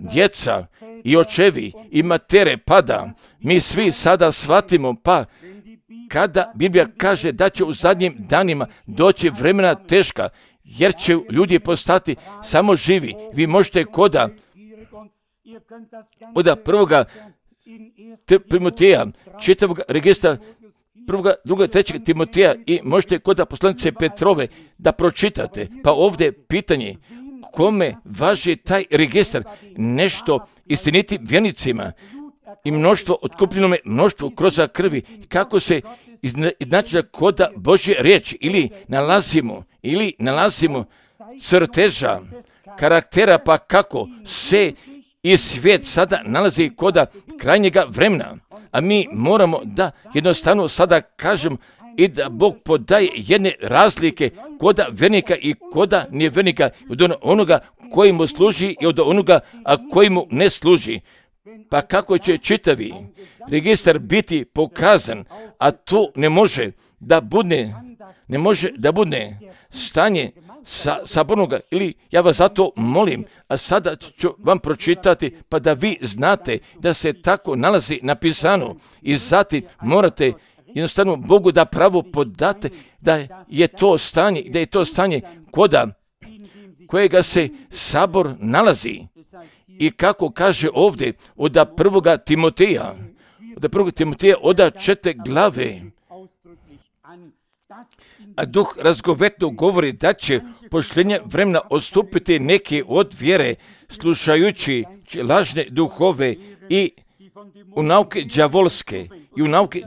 djeca i očevi i matere pada, mi svi sada shvatimo, pa kada Biblija kaže da će u zadnjim danima doći vremena teška, jer će ljudi postati samo živi. Vi možete koda prvoga Timoteja, čitavog registra, prvoga, druga, trećeg Timoteja i možete koda poslanice Petrove da pročitate. Pa ovdje pitanje, kome važi taj registar? Nešto istiniti vjernicima i mnoštvo otkupljenome, mnoštvo kroz krvi. Kako se znači koda Božje riječi ili nalazimo crteža karaktera, pa kako se i svijet sada nalazi koda krajnjega vremena, a mi moramo da jednostavno sada kažem i da Bog podaje jedne razlike koda vjernika i koda nevjernika, od onoga koji mu služi i od onoga koji mu ne služi. Pa kako će čitavi registar biti pokazan, a to ne može da bude stanje sabornoga, ili ja vas zato molim, a sada ću vam pročitati pa da vi znate da se tako nalazi napisano i zatim morate jednostavno Bogu da pravo podate da je to stanje koda kojega se sabor nalazi. I kako kaže ovdje od prvoga Timoteja, od 4. glave, a duh razgovetno govori da će pošljenje vremena odstupiti neki od vjere, slušajući lažne duhove i u nauke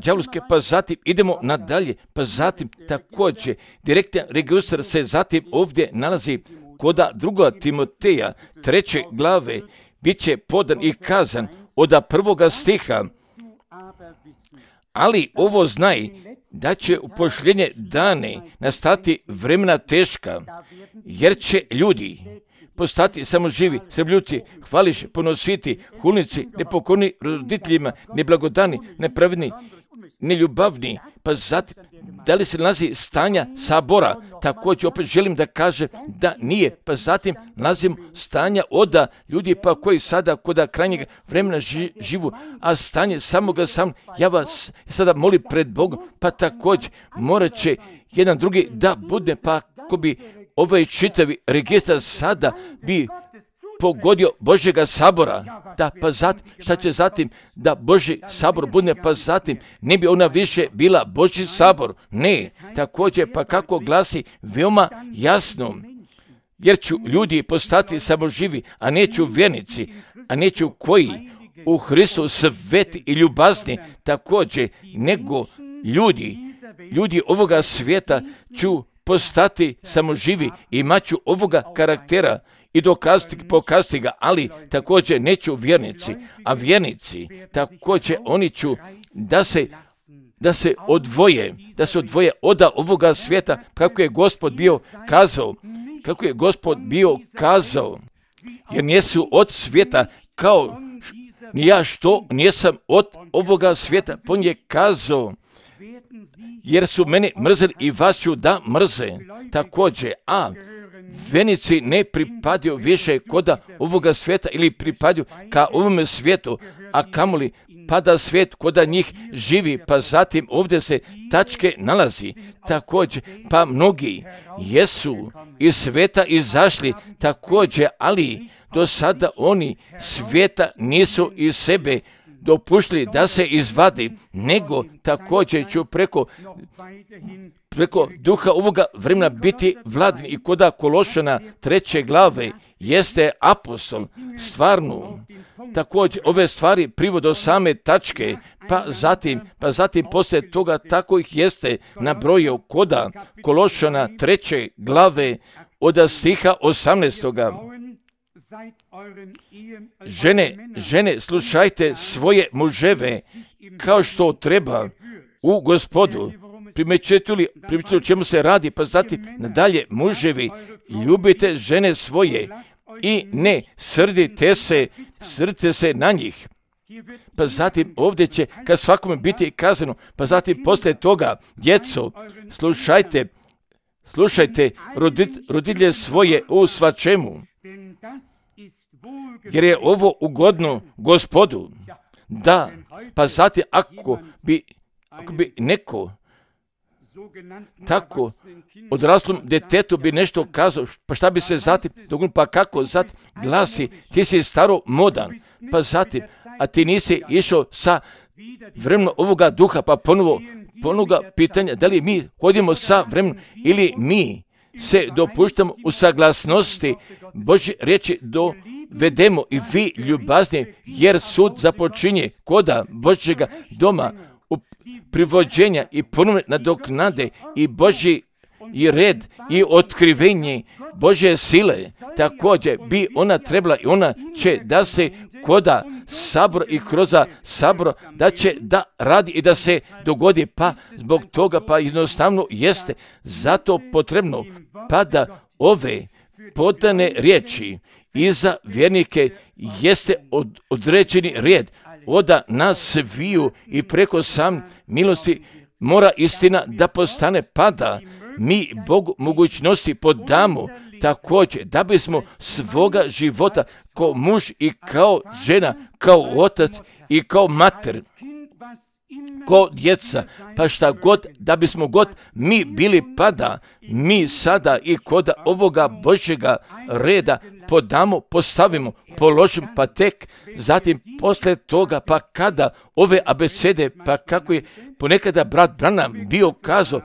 đavolske, pa zatim idemo nadalje, pa zatim također direktan registar se zatim ovdje nalazi koda 2. Timoteja 3. glave, bit će podan i kazan od 1. stiha, ali ovo znaj da će u pošljenje dane nastati vremena teška, jer će ljudi postati samo živi, srbljuci, hvališ, ponositi, hulnici, nepokorni roditeljima, neblagodani, nepravedni, neljubavni, pa zatim, da li se nalazi stanja sabora? Također opet želim da kažem da nije, pa zatim nalazim stanja oda ljudi pa koji sada kod krajnjeg vremena živu, a stanje samoga sam, ja vas sada molim pred Bogom, pa također morat će jedan drugi da bude, pa ako bi ovaj čitavi registar sada bi pogodio Božjega sabora, da pa zatim, šta će zatim da Božji sabor bude, pa zatim ne bi ona više bila Božji sabor, ne, također pa kako glasi veoma jasno, jer ću ljudi postati samo živi, a neću vjernici, a neću koji u Hristu sveti i ljubazni, također nego ljudi ovoga svijeta ću postati samo živi i imat ću ovoga karaktera i pokazati ga, ali također neću vjernici, a vjernici također oni ću da se odvoje od ovoga svijeta, kako je Gospod bio kazao, jer nisu od svijeta kao ni ja što nisam od ovoga svijeta, on je kazao, jer su mene mrzeli i vas ću da mrze, također, a vjernici ne pripadaju više koda ovoga svijeta ili pripadaju ka ovome svijetu, a kamoli pada svijet koda njih živi, pa zatim ovdje se tačke nalazi, također, pa mnogi jesu iz svijeta izašli, također, ali do sada oni svijeta nisu iz sebe dopuštili da se izvadi, nego također ću preko duha ovoga vremena biti vladin i koda Kološana 3. glave jeste apostol stvarno. Također ove stvari privode do same tačke, pa zatim poslije toga tako ih jeste nabrojio koda Kološana 3. glave od stiha 18. Žene, slušajte svoje muževe kao što treba u Gospodu. Primjećujete li o čemu se radi, pa zatim nadalje, muževi, ljubite žene svoje i ne srdite se na njih. Pa zatim ovdje će kad svakome biti kazano, pa zatim poslije toga, djeco, slušajte roditelje svoje u svačemu, jer je ovo ugodno Gospodu. Da, pa zatim ako bi neko tako odraslom djetetu bi nešto kazao, pa šta bi se zatim dogodilo, pa kako zatim glasi, ti si staro modan, pa zatim, a ti nisi išao sa vremenom ovoga duha, pa ponovo pitanja, da li mi hodimo sa vremenom ili mi se dopuštamo u saglasnosti Božje riječi dovedemo i vi ljubazni, jer sud započinje koda Božjega doma u privođenja i ponovne nadoknade i Božji i red i otkrivenje Božje sile. Također bi ona trebala i ona će da se koda sabor i kroz sabor da će da radi i da se dogodi, pa zbog toga pa jednostavno jeste zato potrebno pa da ove podane riječi i za vjernike jeste određeni red oda nas sviju i preko sam milosti mora istina da postane pada. Mi Bogu mogućnosti podamo također da bismo svoga života kao muž i kao žena, kao otac i kao mater, kao djeca, pa šta god, da bismo god mi bili pada, mi sada i kod ovoga Božjega reda podamo, postavimo, položimo, pa tek zatim poslije toga, pa kada ove abecede, pa kako je ponekada brat Branham bio kazao,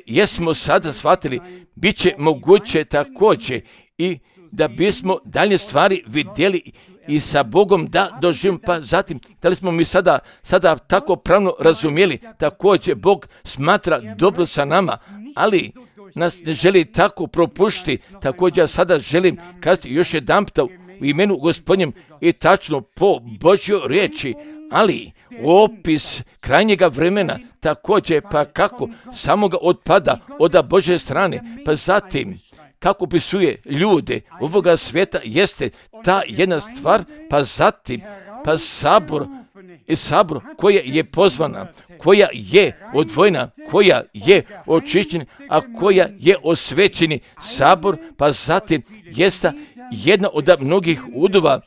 jesmo sada shvatili, bit će moguće također i da bismo dalje stvari vidjeli i sa Bogom da doživimo, pa zatim da li smo mi sada tako pravno razumjeli, također Bog smatra dobro sa nama, ali nas ne želi tako propušti. Također ja sada želim kazati još jedanput u imenu Gospodnjem i tačno po Božjoj riječi, ali opis krajnjega vremena također pa kako samoga otpada od Božje strane, pa zatim kako opisuje ljude ovoga svijeta jeste ta jedna stvar, pa zatim pa sabor koja je pozvana, koja je odvojena, koja je očišćena, a koja je osvećeni sabor, pa zatim jeste jedna od mnogih udova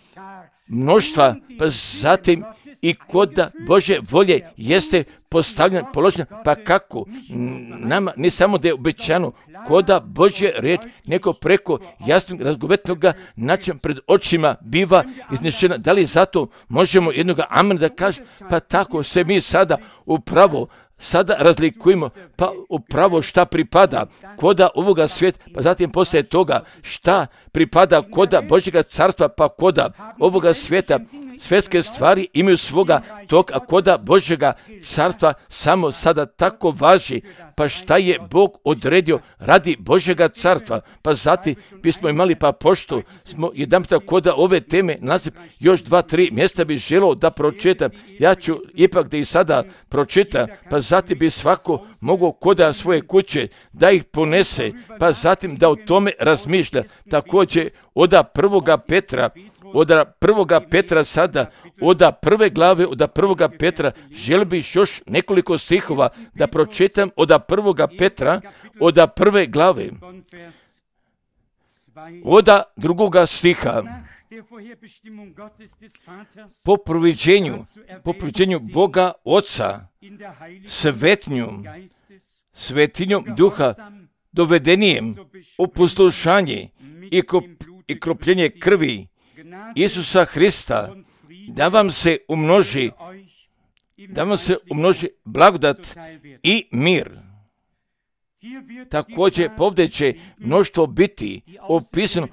mnoštva, pa zatim i kod Božje volje jeste postavljen, položen, pa kako nama ne samo da je obećano koda Božje riječ, neko preko jasnog razgovetnog načina pred očima biva iznešena. Da li zato možemo jednoga amen da kaže, pa tako se mi sada upravo sada razlikujemo, pa upravo šta pripada koda ovoga svijeta, pa zatim poslije toga šta pripada koda Božjega carstva, pa koda ovoga svijeta. Svjetske stvari imaju svoga toga, a koda Božjega carstva samo sada tako važi, pa šta je Bog odredio radi Božjega carstva, pa zatim bismo imali, pa pošto smo jedanput koda ove teme naziv, još 2-3 mjesta bi želio da pročitam, ja ću ipak da ih sada pročitam, pa zatim bi svako mogao koda svoje kuće da ih ponese, pa zatim da o tome razmišlja. Također od 1. Petra sada, od 1. glave, od 1. Petra, želim bih još nekoliko stihova da pročitam od 1. Petra, od 1. glave, od 2. stiha. Po proviđenju Boga Oca, svetinjom duha, dovedenijem u poslušanje i kropljenje krvi Isusa Hrista, da vam se umnoži blagodat i mir. Također povdje će mnoštvo biti opisano,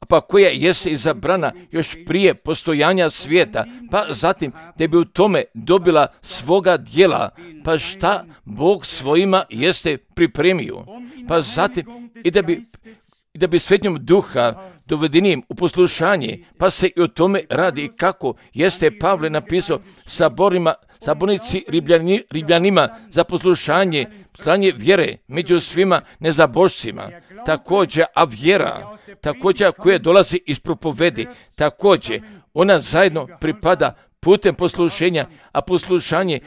pa koja jeste izabrana još prije postojanja svijeta, pa zatim da bi u tome dobila svoga djela, pa šta Bog svojima jeste pripremio, pa zatim i da bi svetinjom duha dovedenim u poslušanje, pa se i o tome radi kako jeste Pavle napisao sabornici Ribljanima za poslušanje, slanje vjere među svima nezabožcima, također, a vjera, također koja dolazi iz propovedi, također ona zajedno pripada putem poslušenja, a poslušanje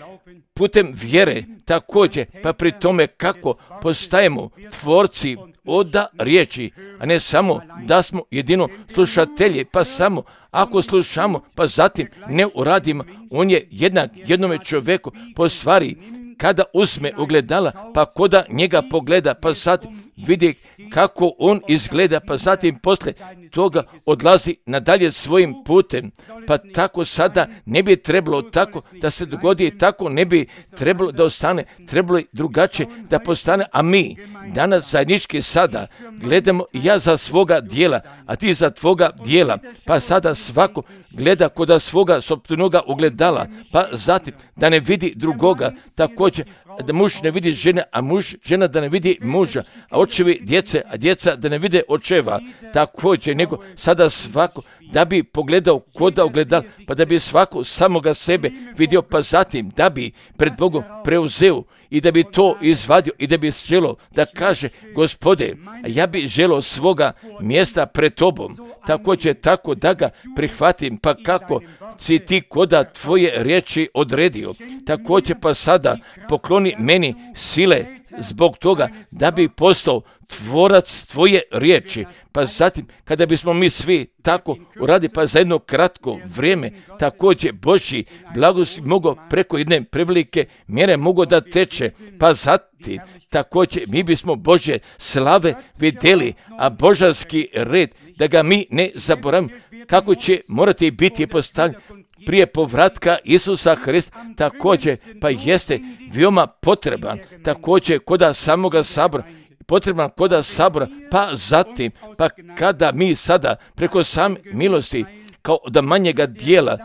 putem vjere također, pa pri tome kako postajemo tvorci oda riječi, a ne samo da smo jedino slušatelji, pa samo ako slušamo, pa zatim ne uradimo. On je jednak jednome čovjeku po stvari, kada uzme ogledala, pa koda njega pogleda, pa zatim vidi kako on izgleda, pa zatim poslije toga odlazi nadalje svojim putem. Pa tako sada ne bi trebalo tako da se dogodi, tako ne bi trebalo da ostane, trebalo je drugačije da postane, a mi danas zajednički sada gledamo ja za svoga dijela, a ti za tvoga dijela, pa sada svako gleda koda svoga sopstvenoga ogledala, pa zatim da ne vidi drugoga, također da muž ne vidi žene, a žena da ne vidi muža, a očevi djece, a djeca da ne vide očeva, također, nego sada svako da bi pogledao koda ogledal, pa da bi svako samoga sebe vidio, pa zatim da bi pred Bogom preuzeo i da bi to izvadio i da bi želo da kaže, Gospode, ja bi želo svoga mjesta pred tobom, također tako da ga prihvatim, pa kako si ti koda tvoje riječi odredio, također pa sada pokloni meni sile zbog toga da bi postao tvorac tvoje riječi, pa zatim kada bismo mi svi tako uradi, pa za jedno kratko vrijeme također Božji blagost mogao preko jedne prevelike mjere mogao da teče, pa zatim također mi bismo Božje slave vidjeli, a božanski red da ga mi ne zaboravimo, kako će morati biti postavljen prije povratka Isusa Hrista, također pa jeste veoma potreban, također koda samoga sabora, potreban koda sabora, pa zatim, pa kada mi sada preko same milosti, kao da manjega dijela,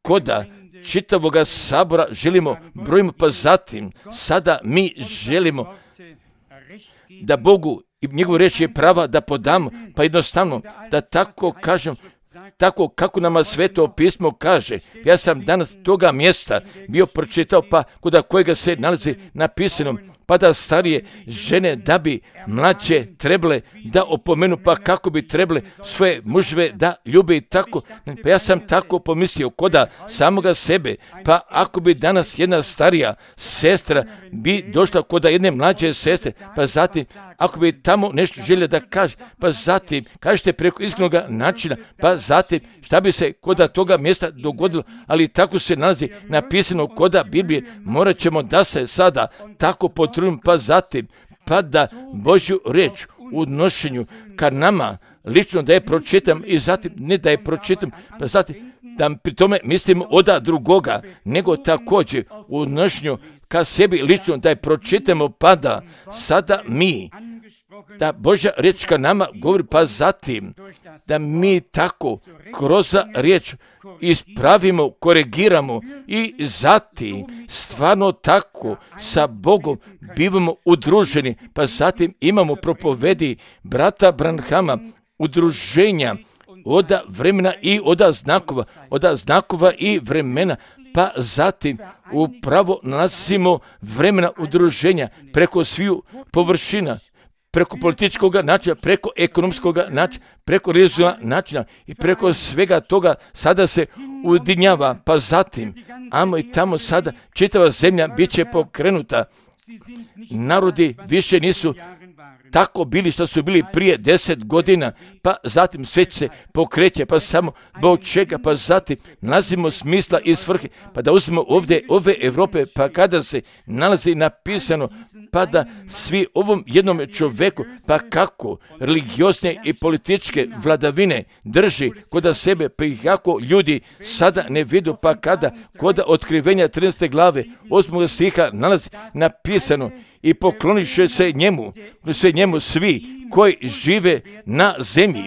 koda čitavoga sabora želimo brojimo, pa zatim sada mi želimo da Bogu i njegovu riječ je prava da podamo, pa jednostavno da tako kažem, tako kako nama Sveto pismo kaže. Ja sam danas toga mjesta bio pročitao, pa kod kojega se nalazi napisano, pa da starije žene da bi mlađe trebale da opomenu, pa kako bi trebale svoje muževe da ljube i tako. Pa ja sam tako pomislio koda samoga sebe, pa ako bi danas jedna starija sestra bi došla koda jedne mlađe sestre, pa zatim ako bi tamo nešto željela da kaže, pa zatim kažete preko iskrenog načina, pa zatim šta bi se koda toga mjesta dogodilo, ali tako se nalazi napisano koda Biblije, morat ćemo da se sada tako potrudimo, pa zatim pa da Božju riječ u odnošenju ka nama lično da je pročitam i zatim ne da je pročitam, pa zatim da pri tome mislimo oda drugoga, nego također u odnošenju ka sebi lično da je pročitamo, pa da sada mi da Božja riječ ka nama govori, pa zatim da mi tako kroz riječ ispravimo, korigiramo i zatim stvarno tako sa Bogom bivamo udruženi, pa zatim imamo propovedi brata Branhama, udruženja oda vremena i oda znakova i vremena, pa zatim upravo nalazimo vremena udruženja preko sviju površina, preko političkog načina, preko ekonomskog načina, preko religijskog načina i preko svega toga sada se ujedinjava, pa zatim, amo i tamo sada čitava zemlja bit će pokrenuta. Narodi više nisu tako bili što su bili prije 10 godina, pa zatim sve se pokreće, pa samo zbog čega, pa zatim nalazimo smisla i svrhe, pa da uzmemo ovdje ove Europe, pa kada se nalazi napisano, pa da svi ovom jednom čovjeku, pa kako religiozne i političke vladavine drži kod sebe, pa ih jako ljudi sada ne vidu, pa kada kod otkrivenja 13. glave 8. stiha nalazi napisano i pokloniše se njemu svi koji žive na zemlji.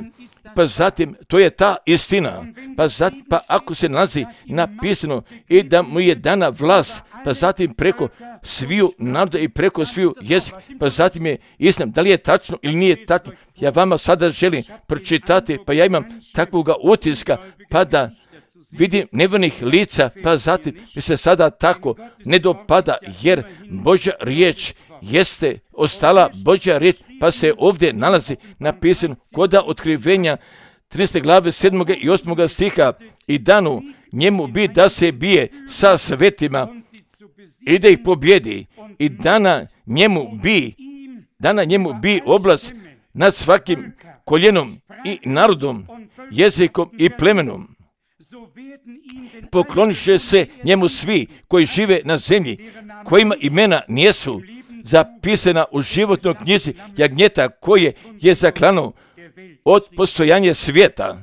Pa zatim, to je ta istina. Pa zatim, pa ako se nalazi napisano i da mu je dana vlast, pa zatim preko sviju naroda i preko sviju jezika, pa zatim je istina. Da li je tačno ili nije tačno? Ja vama sada želim pročitati, pa ja imam takvoga utiska, pa da vidim nevernih lica, pa zatim mi se sada tako ne dopada, jer Božja riječ jeste ostala Božja riječ, pa se ovdje nalazi napisano koda otkrivenja 13. glave 7. i 8. stiha, i danu njemu bi da se bije sa svetima i da ih pobjedi, i dana njemu bi oblast nad svakim koljenom i narodom, jezikom i plemenom. Pokloniše se njemu svi koji žive na zemlji, kojima imena nijesu zapisana u životnoj knjizi jagnjeta koje je zaklano od postojanja svijeta.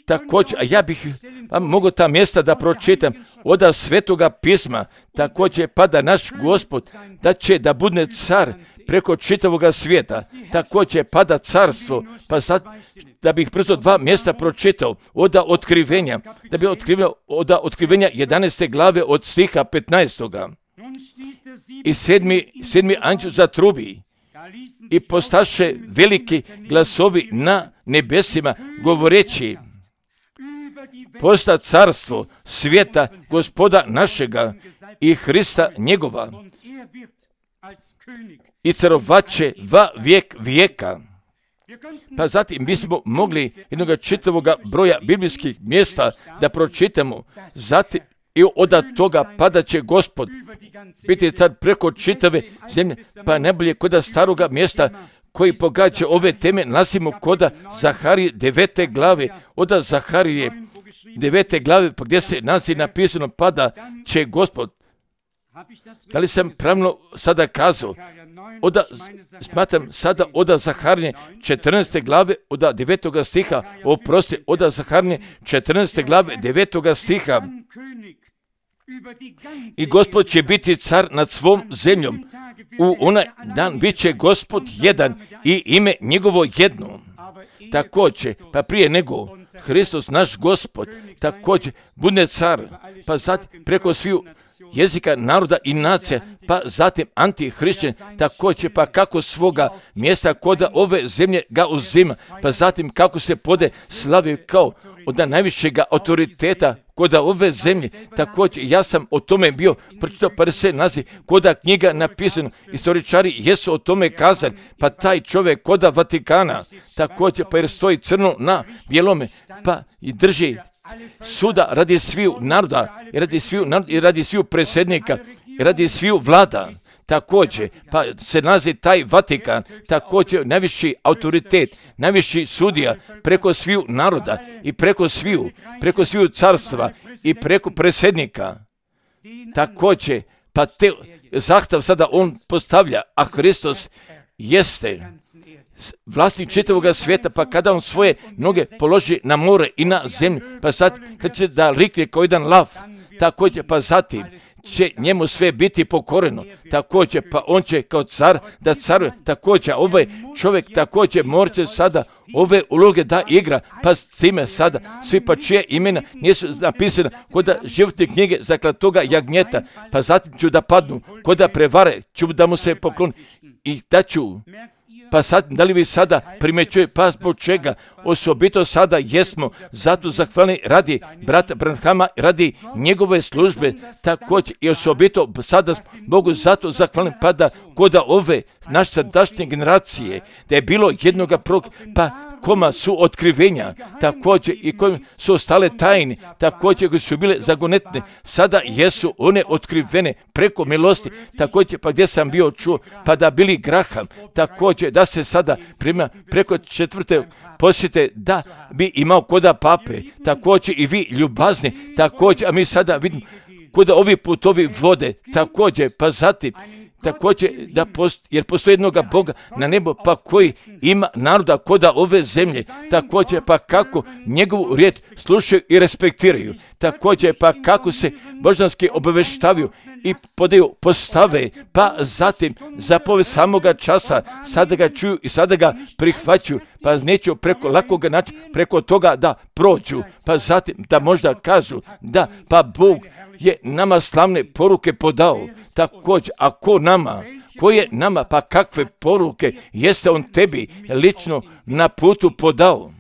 Također, a ja bih vam mogao ta mjesta da pročitam od Svetoga pisma, također pada naš Gospod da će da bude car preko čitavoga svijeta, također pada carstvo, pa sad da bih brzo 2 mjesta pročitao od otkrivenja, da bi od otkrivenja 11. glave od stiha 15. I sedmi anđel zatrubi, i postaše veliki glasovi na nebesima, govoreći: posta carstvo svijeta Gospoda našega i Hrista njegova, i carovaće va vijek vijeka. Pa zatim bismo mogli jednog čitavog broja biblijskih mjesta da pročitamo. Zatim i od toga padat će Gospod biti car preko čitave zemlje, pa najbolje kod staroga mjesta koji pogađa ove teme nalazimo kod Zaharije 9. glave, od Zaharije 9. glave, pa gdje se nalazi napisano pada će Gospod. Da li sam pravno sada kazao? Smatram sada od Zaharije 14. glave od 9. stiha, od Zaharije 14. glave 9. stiha. I Gospod će biti car nad svom zemljom. U onaj dan bit će Gospod jedan i ime njegovo jedno. Također, pa prije nego Hristos naš Gospod također bude car, pa zatim preko sviju jezika, naroda i nacija, pa zatim antihrišćan, također pa kako svoga mjesta kod ove zemlje ga uzima, pa zatim kako se pode slavi kao od najvišega autoriteta kod ove zemlje. Također ja sam o tome bio pročitao, pa se nalazi kod knjiga napisano, istoričari jesu o tome kazali, pa taj čovjek kod Vatikana, također pa jer stoji crno na bijelome, pa i drži suda radi sviju naroda, i radi sviju predsjednika, i radi sviju vlada. Također, pa se nalazi taj Vatikan, također najviši autoritet, najviši sudija preko sviju naroda i preko sviju carstva i preko predsjednika. Također, pa te zahtev sada on postavlja, a Hristos jeste vlasnik čitavoga svijeta, pa kada on svoje noge položi na more i na zemlju, pa sad kad će da rikne kao jedan lav, također pa zatim će njemu sve biti pokoreno, također pa on će kao car da caruje, također ovaj čovjek također morat će sada ove uloge da igra, pa s time sada svi pa čije imena nisu napisana kod životne knjige zaklatoga jagnjeta, pa zatim ću da padnu, kod da prevare ću da mu se pokloni i da ću. Pa sad, da li vi sada primjećuje, pa zbog čega? Osobito sada jesmo zato zahvalni radi brata Branhama, radi njegove službe, također i osobito sada Bogu zato zahvalni pada kod ove naše sadašnje generacije, da je bilo jednoga pa koma su otkrivenja, također i kojim su ostale tajne, također koji su bile zagonetne, sada jesu one otkrivene preko milosti, također pa gdje sam bio čuo, pa da bili Graham, također da se sada prima preko 4. posjete da bi imao koda pape, također i vi ljubazni, također, a mi sada vidimo kod ovi putovi vode, također, pa zatim, također, jer postoji jednoga Boga na nebo, pa koji ima naroda koda ove zemlje, također, pa kako njegovu riječ slušaju i respektiraju, također, pa kako se božanski obaveštavaju i postave, pa zatim zapove samoga časa, sada ga čuju i sada ga prihvaćaju, pa neću preko lakoga načina, preko toga da prođu, pa zatim da možda kažu da, pa Bog je nama slavne poruke podao, također, a ko je nama, pa kakve poruke jeste on tebi lično na putu podao,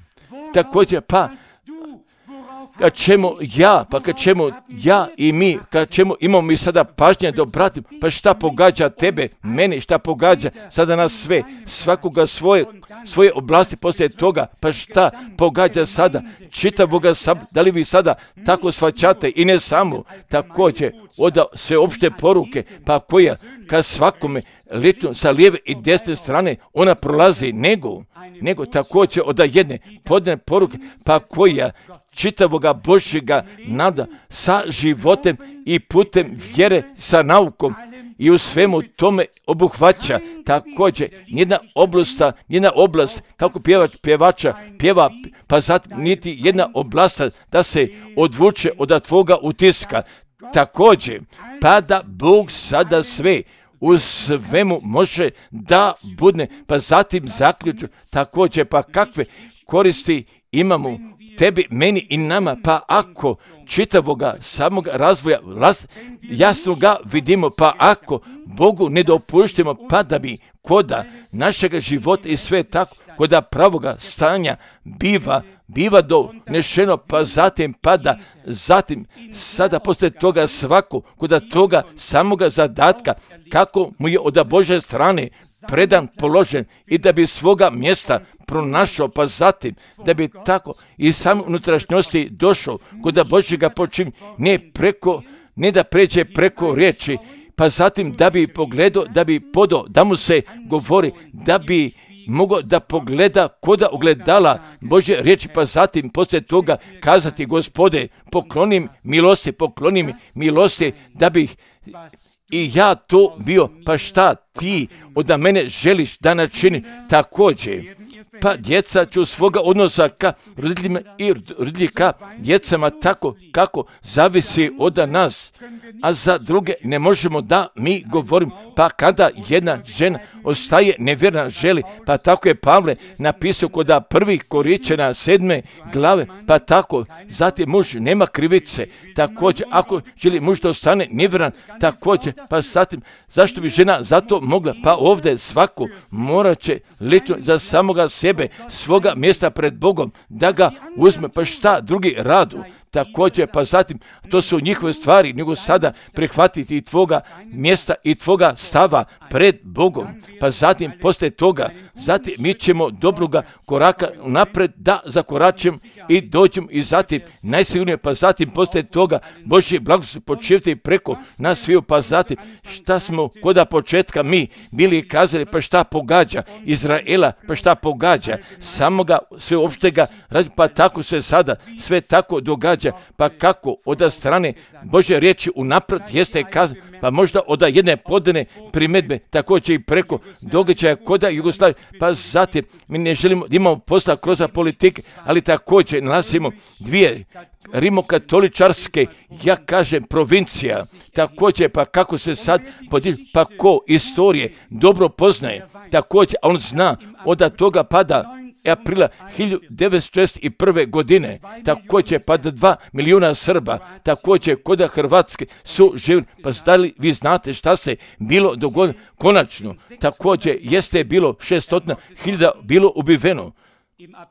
također, pa kad ćemo ja i mi, kad ćemo imamo mi sada pažnje da obratimo, pa šta pogađa tebe, mene, šta pogađa sada nas sve, svakoga svoje oblasti poslije toga, pa šta pogađa sada čitavoga sabora, da li vi sada tako shvaćate i ne samo, također od sveopšte poruke, pa koja kad svakome lično sa lijeve i desne strane ona prolazi, nego također od jedne podne poruke, pa koja čitavoga Božjega nada sa životem i putem vjere, sa naukom i u svemu tome obuhvaća također nijedna oblast, kako pjevača pjeva, pa zatim niti jedna oblast da se odvuče od tvoga utiska. Također, pa da Bog sada sve u svemu može da budne, pa zatim zaključu također, pa kakve koristi imamo tebi, meni i nama, pa ako čitavoga samog razvoja jasno ga vidimo, pa ako Bogu ne dopuštimo, pa da bi koda našega života i sve tako, koda pravoga stanja biva donešeno, pa zatim sada poslije toga svako, koda toga samoga zadatka, kako mu je od Božje strane predan, položen i da bi svoga mjesta pronašao, pa zatim da bi tako i sam unutrašnjosti došao kod Božjega počinja, ne da pređe preko riječi, pa zatim da bi pogledao, da bi podao, da mu se govori, da bi mogao da pogleda koda ogledala Božje riječi, pa zatim poslije toga kazati: Gospode, pokloni milosti, da bih i ja to bio, pa šta ti od mene želiš da načini također. Pa djeca ću svoga odnosa ka roditeljima i roditelji ka djecama tako kako zavisi od nas, a za druge ne možemo da mi govorimo. Pa kada jedna žena ostaje nevjerna želi, pa tako je Pavle napisao kod 1. Korinćana 7. glave, pa tako zatim muž nema krivice, također ako želi muž da ostane nevjeran, također, pa zatim zašto bi žena zato mogla, pa ovdje svako morat će lično za samoga sebe, svoga mjesta pred Bogom, da ga uzme, pa šta drugi radu. Također, pa zatim, to su njihove stvari, nego sada prihvatiti i tvoga mjesta i tvoga stava pred Bogom. Pa zatim, poslije toga, zatim mi ćemo dobroga koraka napred da zakoračimo i dođemo i zatim najsigurnije, pa zatim poslije toga Božji blagoslov počivati preko nas sviju, pa zatim šta smo koda početka mi bili kazali, pa šta pogađa Izraela, pa šta pogađa samoga sveopštega, pa tako se sada sve tako događa, pa kako od strane Božje riječi unaprijed jeste kazano, pa možda od jedne podane primjedbe, također i preko događaja koda Jugoslavije, pa zatim mi ne želimo da imamo posla kroz politike, ali također nalazimo dvije rimokatoličarske, ja kažem, provincija, također, pa kako se sad podiže, pa ko istorije dobro poznaje, također, a on zna od toga pada aprila 1961. godine, također pa 2 milijuna Srba, također kod Hrvatske su živjeli, pa da li vi znate šta se bilo dogodilo? Konačno, također jeste bilo 600.000 bilo ubiveno,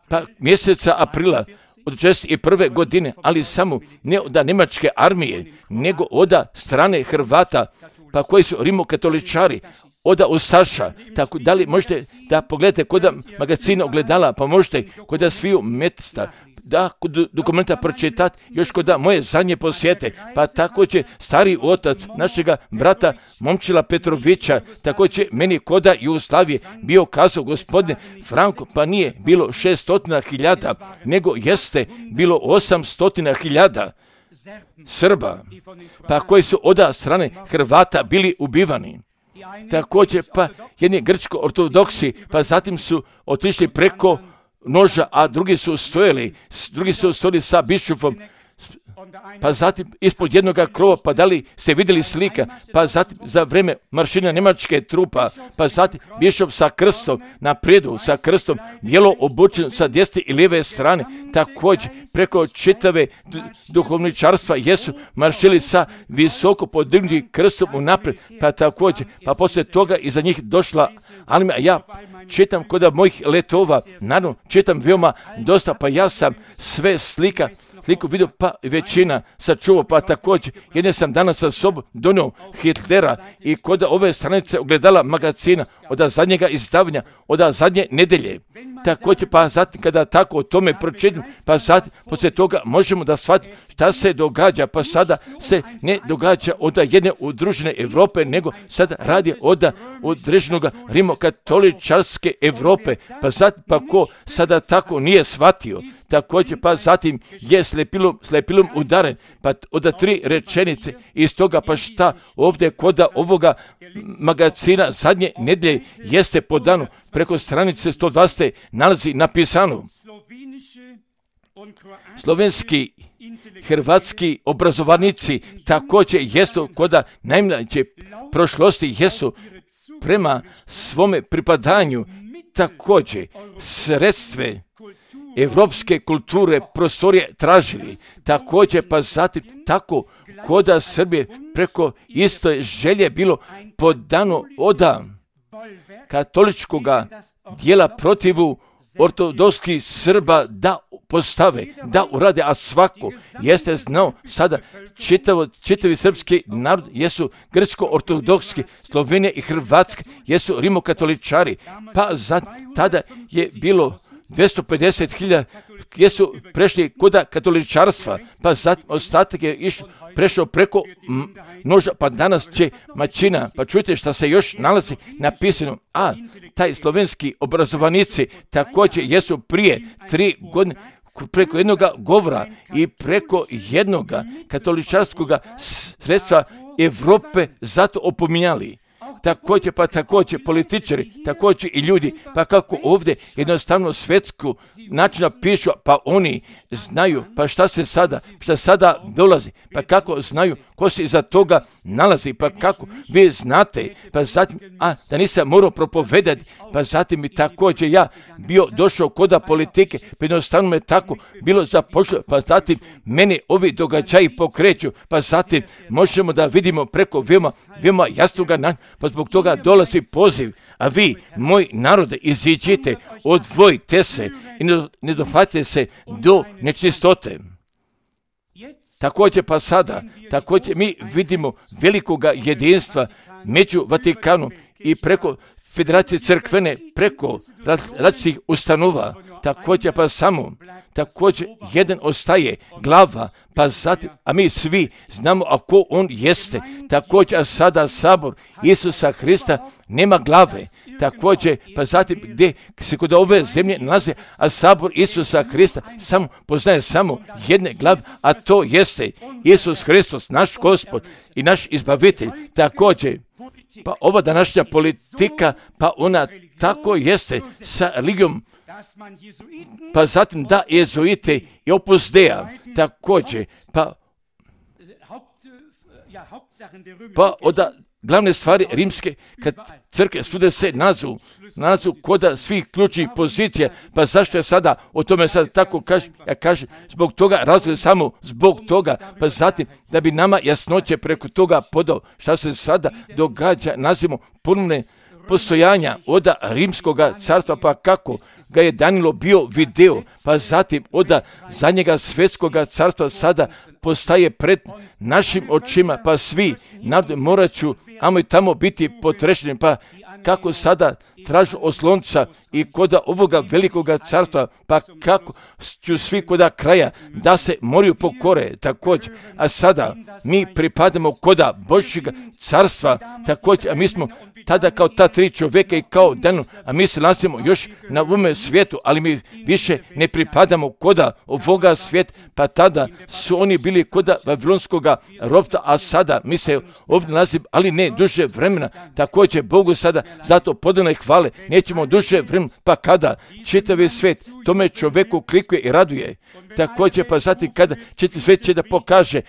pa mjeseca aprila od 1961. godine, ali samo ne od njemačke armije, nego od strane Hrvata, pa koji su rimokatoličari, od ustaša. Tako da li možete da pogledate kod magazina ogledala, pa možete kod sviju mjesta da kod dokumenta pročitati još kod moje zadnje posjete, pa također stari otac našega brata Momčila Petrovića, također meni kod Jugoslavije bio kazao: Gospodine Franko, pa nije bilo 600.000, nego jeste bilo 800.000 Srba, pa koji su od strane Hrvata bili ubivani. Također, pa jedni grčko-ortodoksi, pa zatim su otišli preko noža, a drugi su stojali sa bišufom, pa zatim ispod jednog krova, pa da li ste vidjeli slika, pa zatim za vreme maršina njemačke trupa, pa zatim bišuf sa krstom napredu, sa krstom bijelo obučen sa desne i lijeve strane, također preko čitave duhovničarstva jesu maršili sa visoko podignutim krstom unaprijed, pa također, pa poslije toga iza njih došla armija. Ja čitam kod mojih letova, naravno čitam veoma dosta, pa ja sam sve slika sliku vidio, pa većina sačuvao, pa također jedne sam danas sa sobom donio Hitlera i kod ove stranice ogledala magazina od zadnjega izdavanja, od zadnje nedelje. Također, pa zatim kada tako o tome pročitam, pa zatim poslije toga možemo da shvatimo šta se događa, pa sada se ne događa od jedne udružene Europe, nego sada radi od udruženog rimokatoličarske Europe, pa zatim pa ko sada tako nije shvatio, također pa zatim je slepilom udaren, pa od 3 rečenice iz toga pa šta ovdje kod ovoga magazina zadnje nedelje jeste podano preko stranice 120 nalazi napisano: slovenski, hrvatski obrazovanici također jesu kod najmlađe prošlosti jesu prema svome pripadanju također sredstve evropske kulture prostorije tražili, također pa zatim tako koda Srbije preko istoje želje bilo podano od katoličkoga dijela protivu ortodokskih Srba da postave, da urade, a svako jeste znao sada čitavi srpski narod jesu grčko-ortodokski, Slovenija i Hrvatska jesu rimokatoličari, pa tada je bilo 250.000 jesu prešli kod katoličarstva, pa zatim ostatak je prešao preko noža, pa danas će mačina, pa čujte šta se još nalazi napisano, a taj slovenski obrazovanici također jesu prije 3 godine preko jednog govora i preko jednog katoličarskog sredstva Evrope zato opominjali. Također političari, također i ljudi, pa kako ovdje jednostavno svjetsku načina pišu, pa oni znaju, pa šta sada dolazi, pa kako znaju ko se iza toga nalazi, pa kako vi znate, pa zatim, da nisam morao propovedati, pa zatim mi također ja bio došao koda politike, pa jednostavno me tako bilo zapošljeno, pa zatim mene ovi događaji pokreću, pa zatim možemo da vidimo preko veoma jasnoga načina, pa zbog toga dolazi poziv, a vi, moji narode, iziđite, odvojite se i ne dohvatite se do nečistote. Također pa sada, također mi vidimo velikoga jedinstva među Vatikanom i preko Federacije crkvene, preko različitih ustanova, također pa samo, također jedan ostaje glava, pa zatim, a mi svi znamo ako on jeste, također a sada sabor Isusa Hrista nema glave, također pa zatim gdje se kod ove zemlje nalaze, a sabor Isusa Hrista samo poznaje samo jedne glave, a to jeste Isus Hristos, naš Gospod i naš izbavitelj, također. Pa ova današnja politika, pa ona tako jeste sa religijom, pa zatim da jezuite i Opus Dei, također, pa od glavne stvari rimske crkve sude se nazu koda svih ključnih pozicija, pa zašto je sada o tome sad tako kažem, ja kažem zbog toga, razlog samo zbog toga, pa zatim da bi nama jasnoće preko toga podao šta se sada događa, nazivamo ponovne postojanja od rimskog carstva, pa kako ga je Danilo bio video, pa zatim od zadnjega svjetskog carstva sada postaje pred našim očima, pa svi morat ću i tamo biti potrešeni, pa kako sada tražu oslonca i kod ovoga velikoga carstva, pa kako ću svi kod kraja da se moraju pokore također, a sada mi pripadamo kod Božjeg carstva također, a mi smo tada kao ta 3 čovjeka i kao Danilo, a mi se nalazimo još na ovome svijetu, ali mi više ne pripadamo kod ovoga svijeta, pa tada su oni bili kod Vavilonskog ropstva, a sada mi se ovdje nalazimo, ali ne duže vremena, također Bogu sada zato podane hvale, nećemo duže vremena, pa kada čitavi svijet tome čovjeku klikuje i raduje, također pa zatim kada čitavi svijet će da pokaže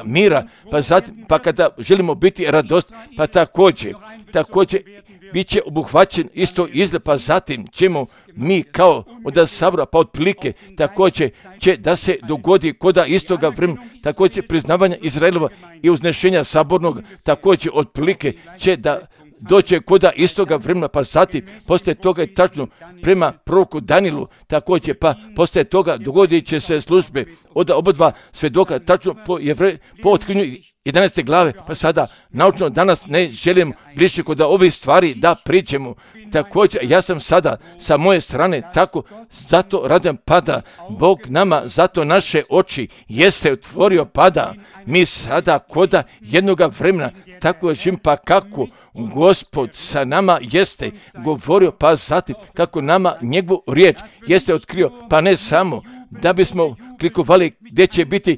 mira, pa zatim pa kada želimo biti radost, pa također bit će obuhvaćen isto izgled, pa zatim ćemo mi kao od sabora, pa otprilike također će da se dogodi koda istoga vremena, također priznavanja Izraelova i uznešenja sabornog, također otprilike će da doće koda istoga vremena, pa zatim poslije toga je tačno prema proroku Danielu, također pa poslije toga dogodit će se službe od obadva svjedoka, tačno po otkrivanju 11. glave, pa sada naučno danas ne želim više kod ovih stvari da pričamo. Također, ja sam sada sa moje strane tako, zato radim pada Bog nama, zato naše oči jeste otvorio pada. Mi sada koda jednoga vremena, tako živim pa kako Gospod sa nama jeste govorio, pa zatim kako nama njegovu riječ jeste otkrio, pa ne samo da bismo klikovali gdje će biti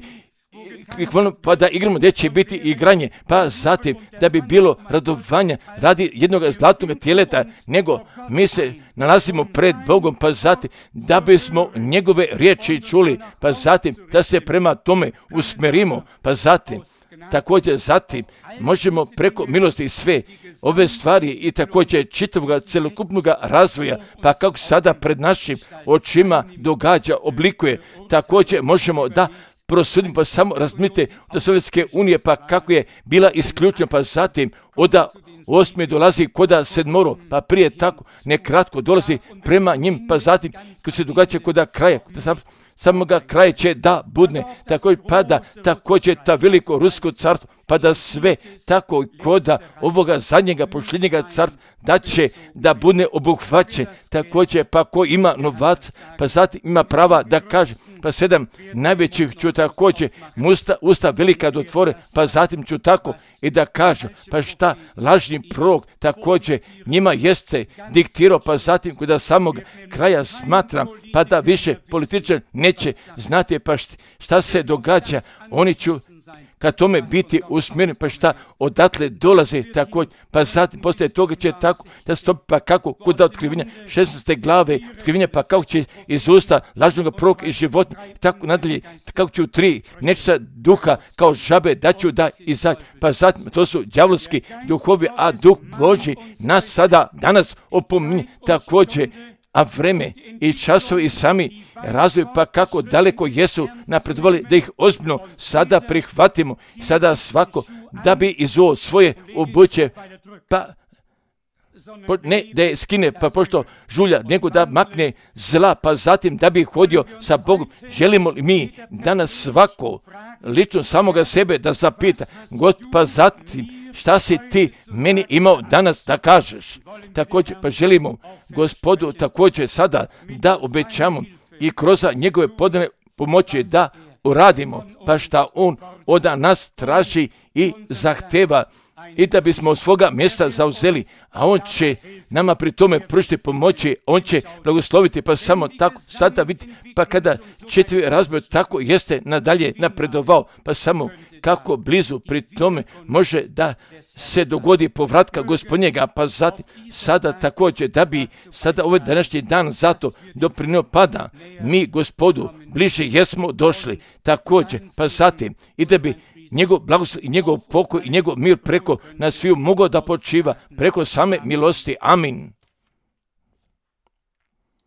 pa da igramo gdje će biti igranje, pa zatim da bi bilo radovanja radi jednog zlatnog tjeleta, nego mi se nalazimo pred Bogom, pa zatim da bismo njegove riječi čuli, pa zatim da se prema tome usmerimo, pa zatim također zatim možemo preko milosti sve ove stvari i također čitavog celokupnog razvoja, pa kako sada pred našim očima događa, oblikuje, također možemo da prosudimo, pa samo razmite od Sovjetske unije, pa kako je bila isključena, pa zatim od 8. dolazi koda 7, pa prije tako nekratko dolazi prema njim, pa zatim kad se događa koda kraja, samoga kraja će da budne, također pada također ta veliko rusko carstvo, pa da sve tako koda ovoga zadnjega posljednjega carstva da će da budne obuhvaćen, također pa ko ima novac, pa zatim ima prava da kaže, pa 7 najvećih ću također usta velika da otvore, pa zatim ću tako i da kažu, pa šta lažni prorok također njima jeste diktirao, pa zatim kod samog kraja smatram, pa da više političar neće znati pa šta se događa, oni ću ka tome biti usmjereni, pa šta odatle dolaze također, pa zatim poslije toga će tako da stopi, pa kako kod otkrivenja 16. glave otkrivenja, pa kako će iz usta lažnog proroka i životinja i tako nadalje, kako će u 3 nečista duha kao žabe da ću da izaći, pa zatim to su đavolski duhovi, a duh Božji nas sada danas opominje također, a vreme i časovi i sami razvoj, pa kako daleko jesu napredovali da ih ozbiljno sada prihvatimo, sada svako da bi iz ovo svoje obuće, pa ne da je skine, pa pošto žulja, nego da makne zla, pa zatim da bi hodio sa Bogom. Želimo li mi danas svako lično samoga sebe da zapita, Gospod, pa zatim šta si ti meni imao danas da kažeš? Također, pa želimo Gospodu također sada da obećamo i kroz njegove podane pomoći da uradimo, pa šta on od nas traži i zahteva i da bismo svoga mjesta zauzeli, a on će nama pri tome pružiti pomoći, on će blagosloviti, pa samo tako sada vidite, pa kada 4 razboj tako jeste nadalje napredovao, pa samo kako blizu pri tome može da se dogodi povratka Gospodnjega, pa zatim sada također da bi sada ovaj današnji dan zato doprinio pada, mi Gospodu bliže jesmo došli također, pa zatim i da bi njegov blagoslov i njegov pokoj i njegov mir preko nas sviju mogao da počiva preko same milosti. Amin.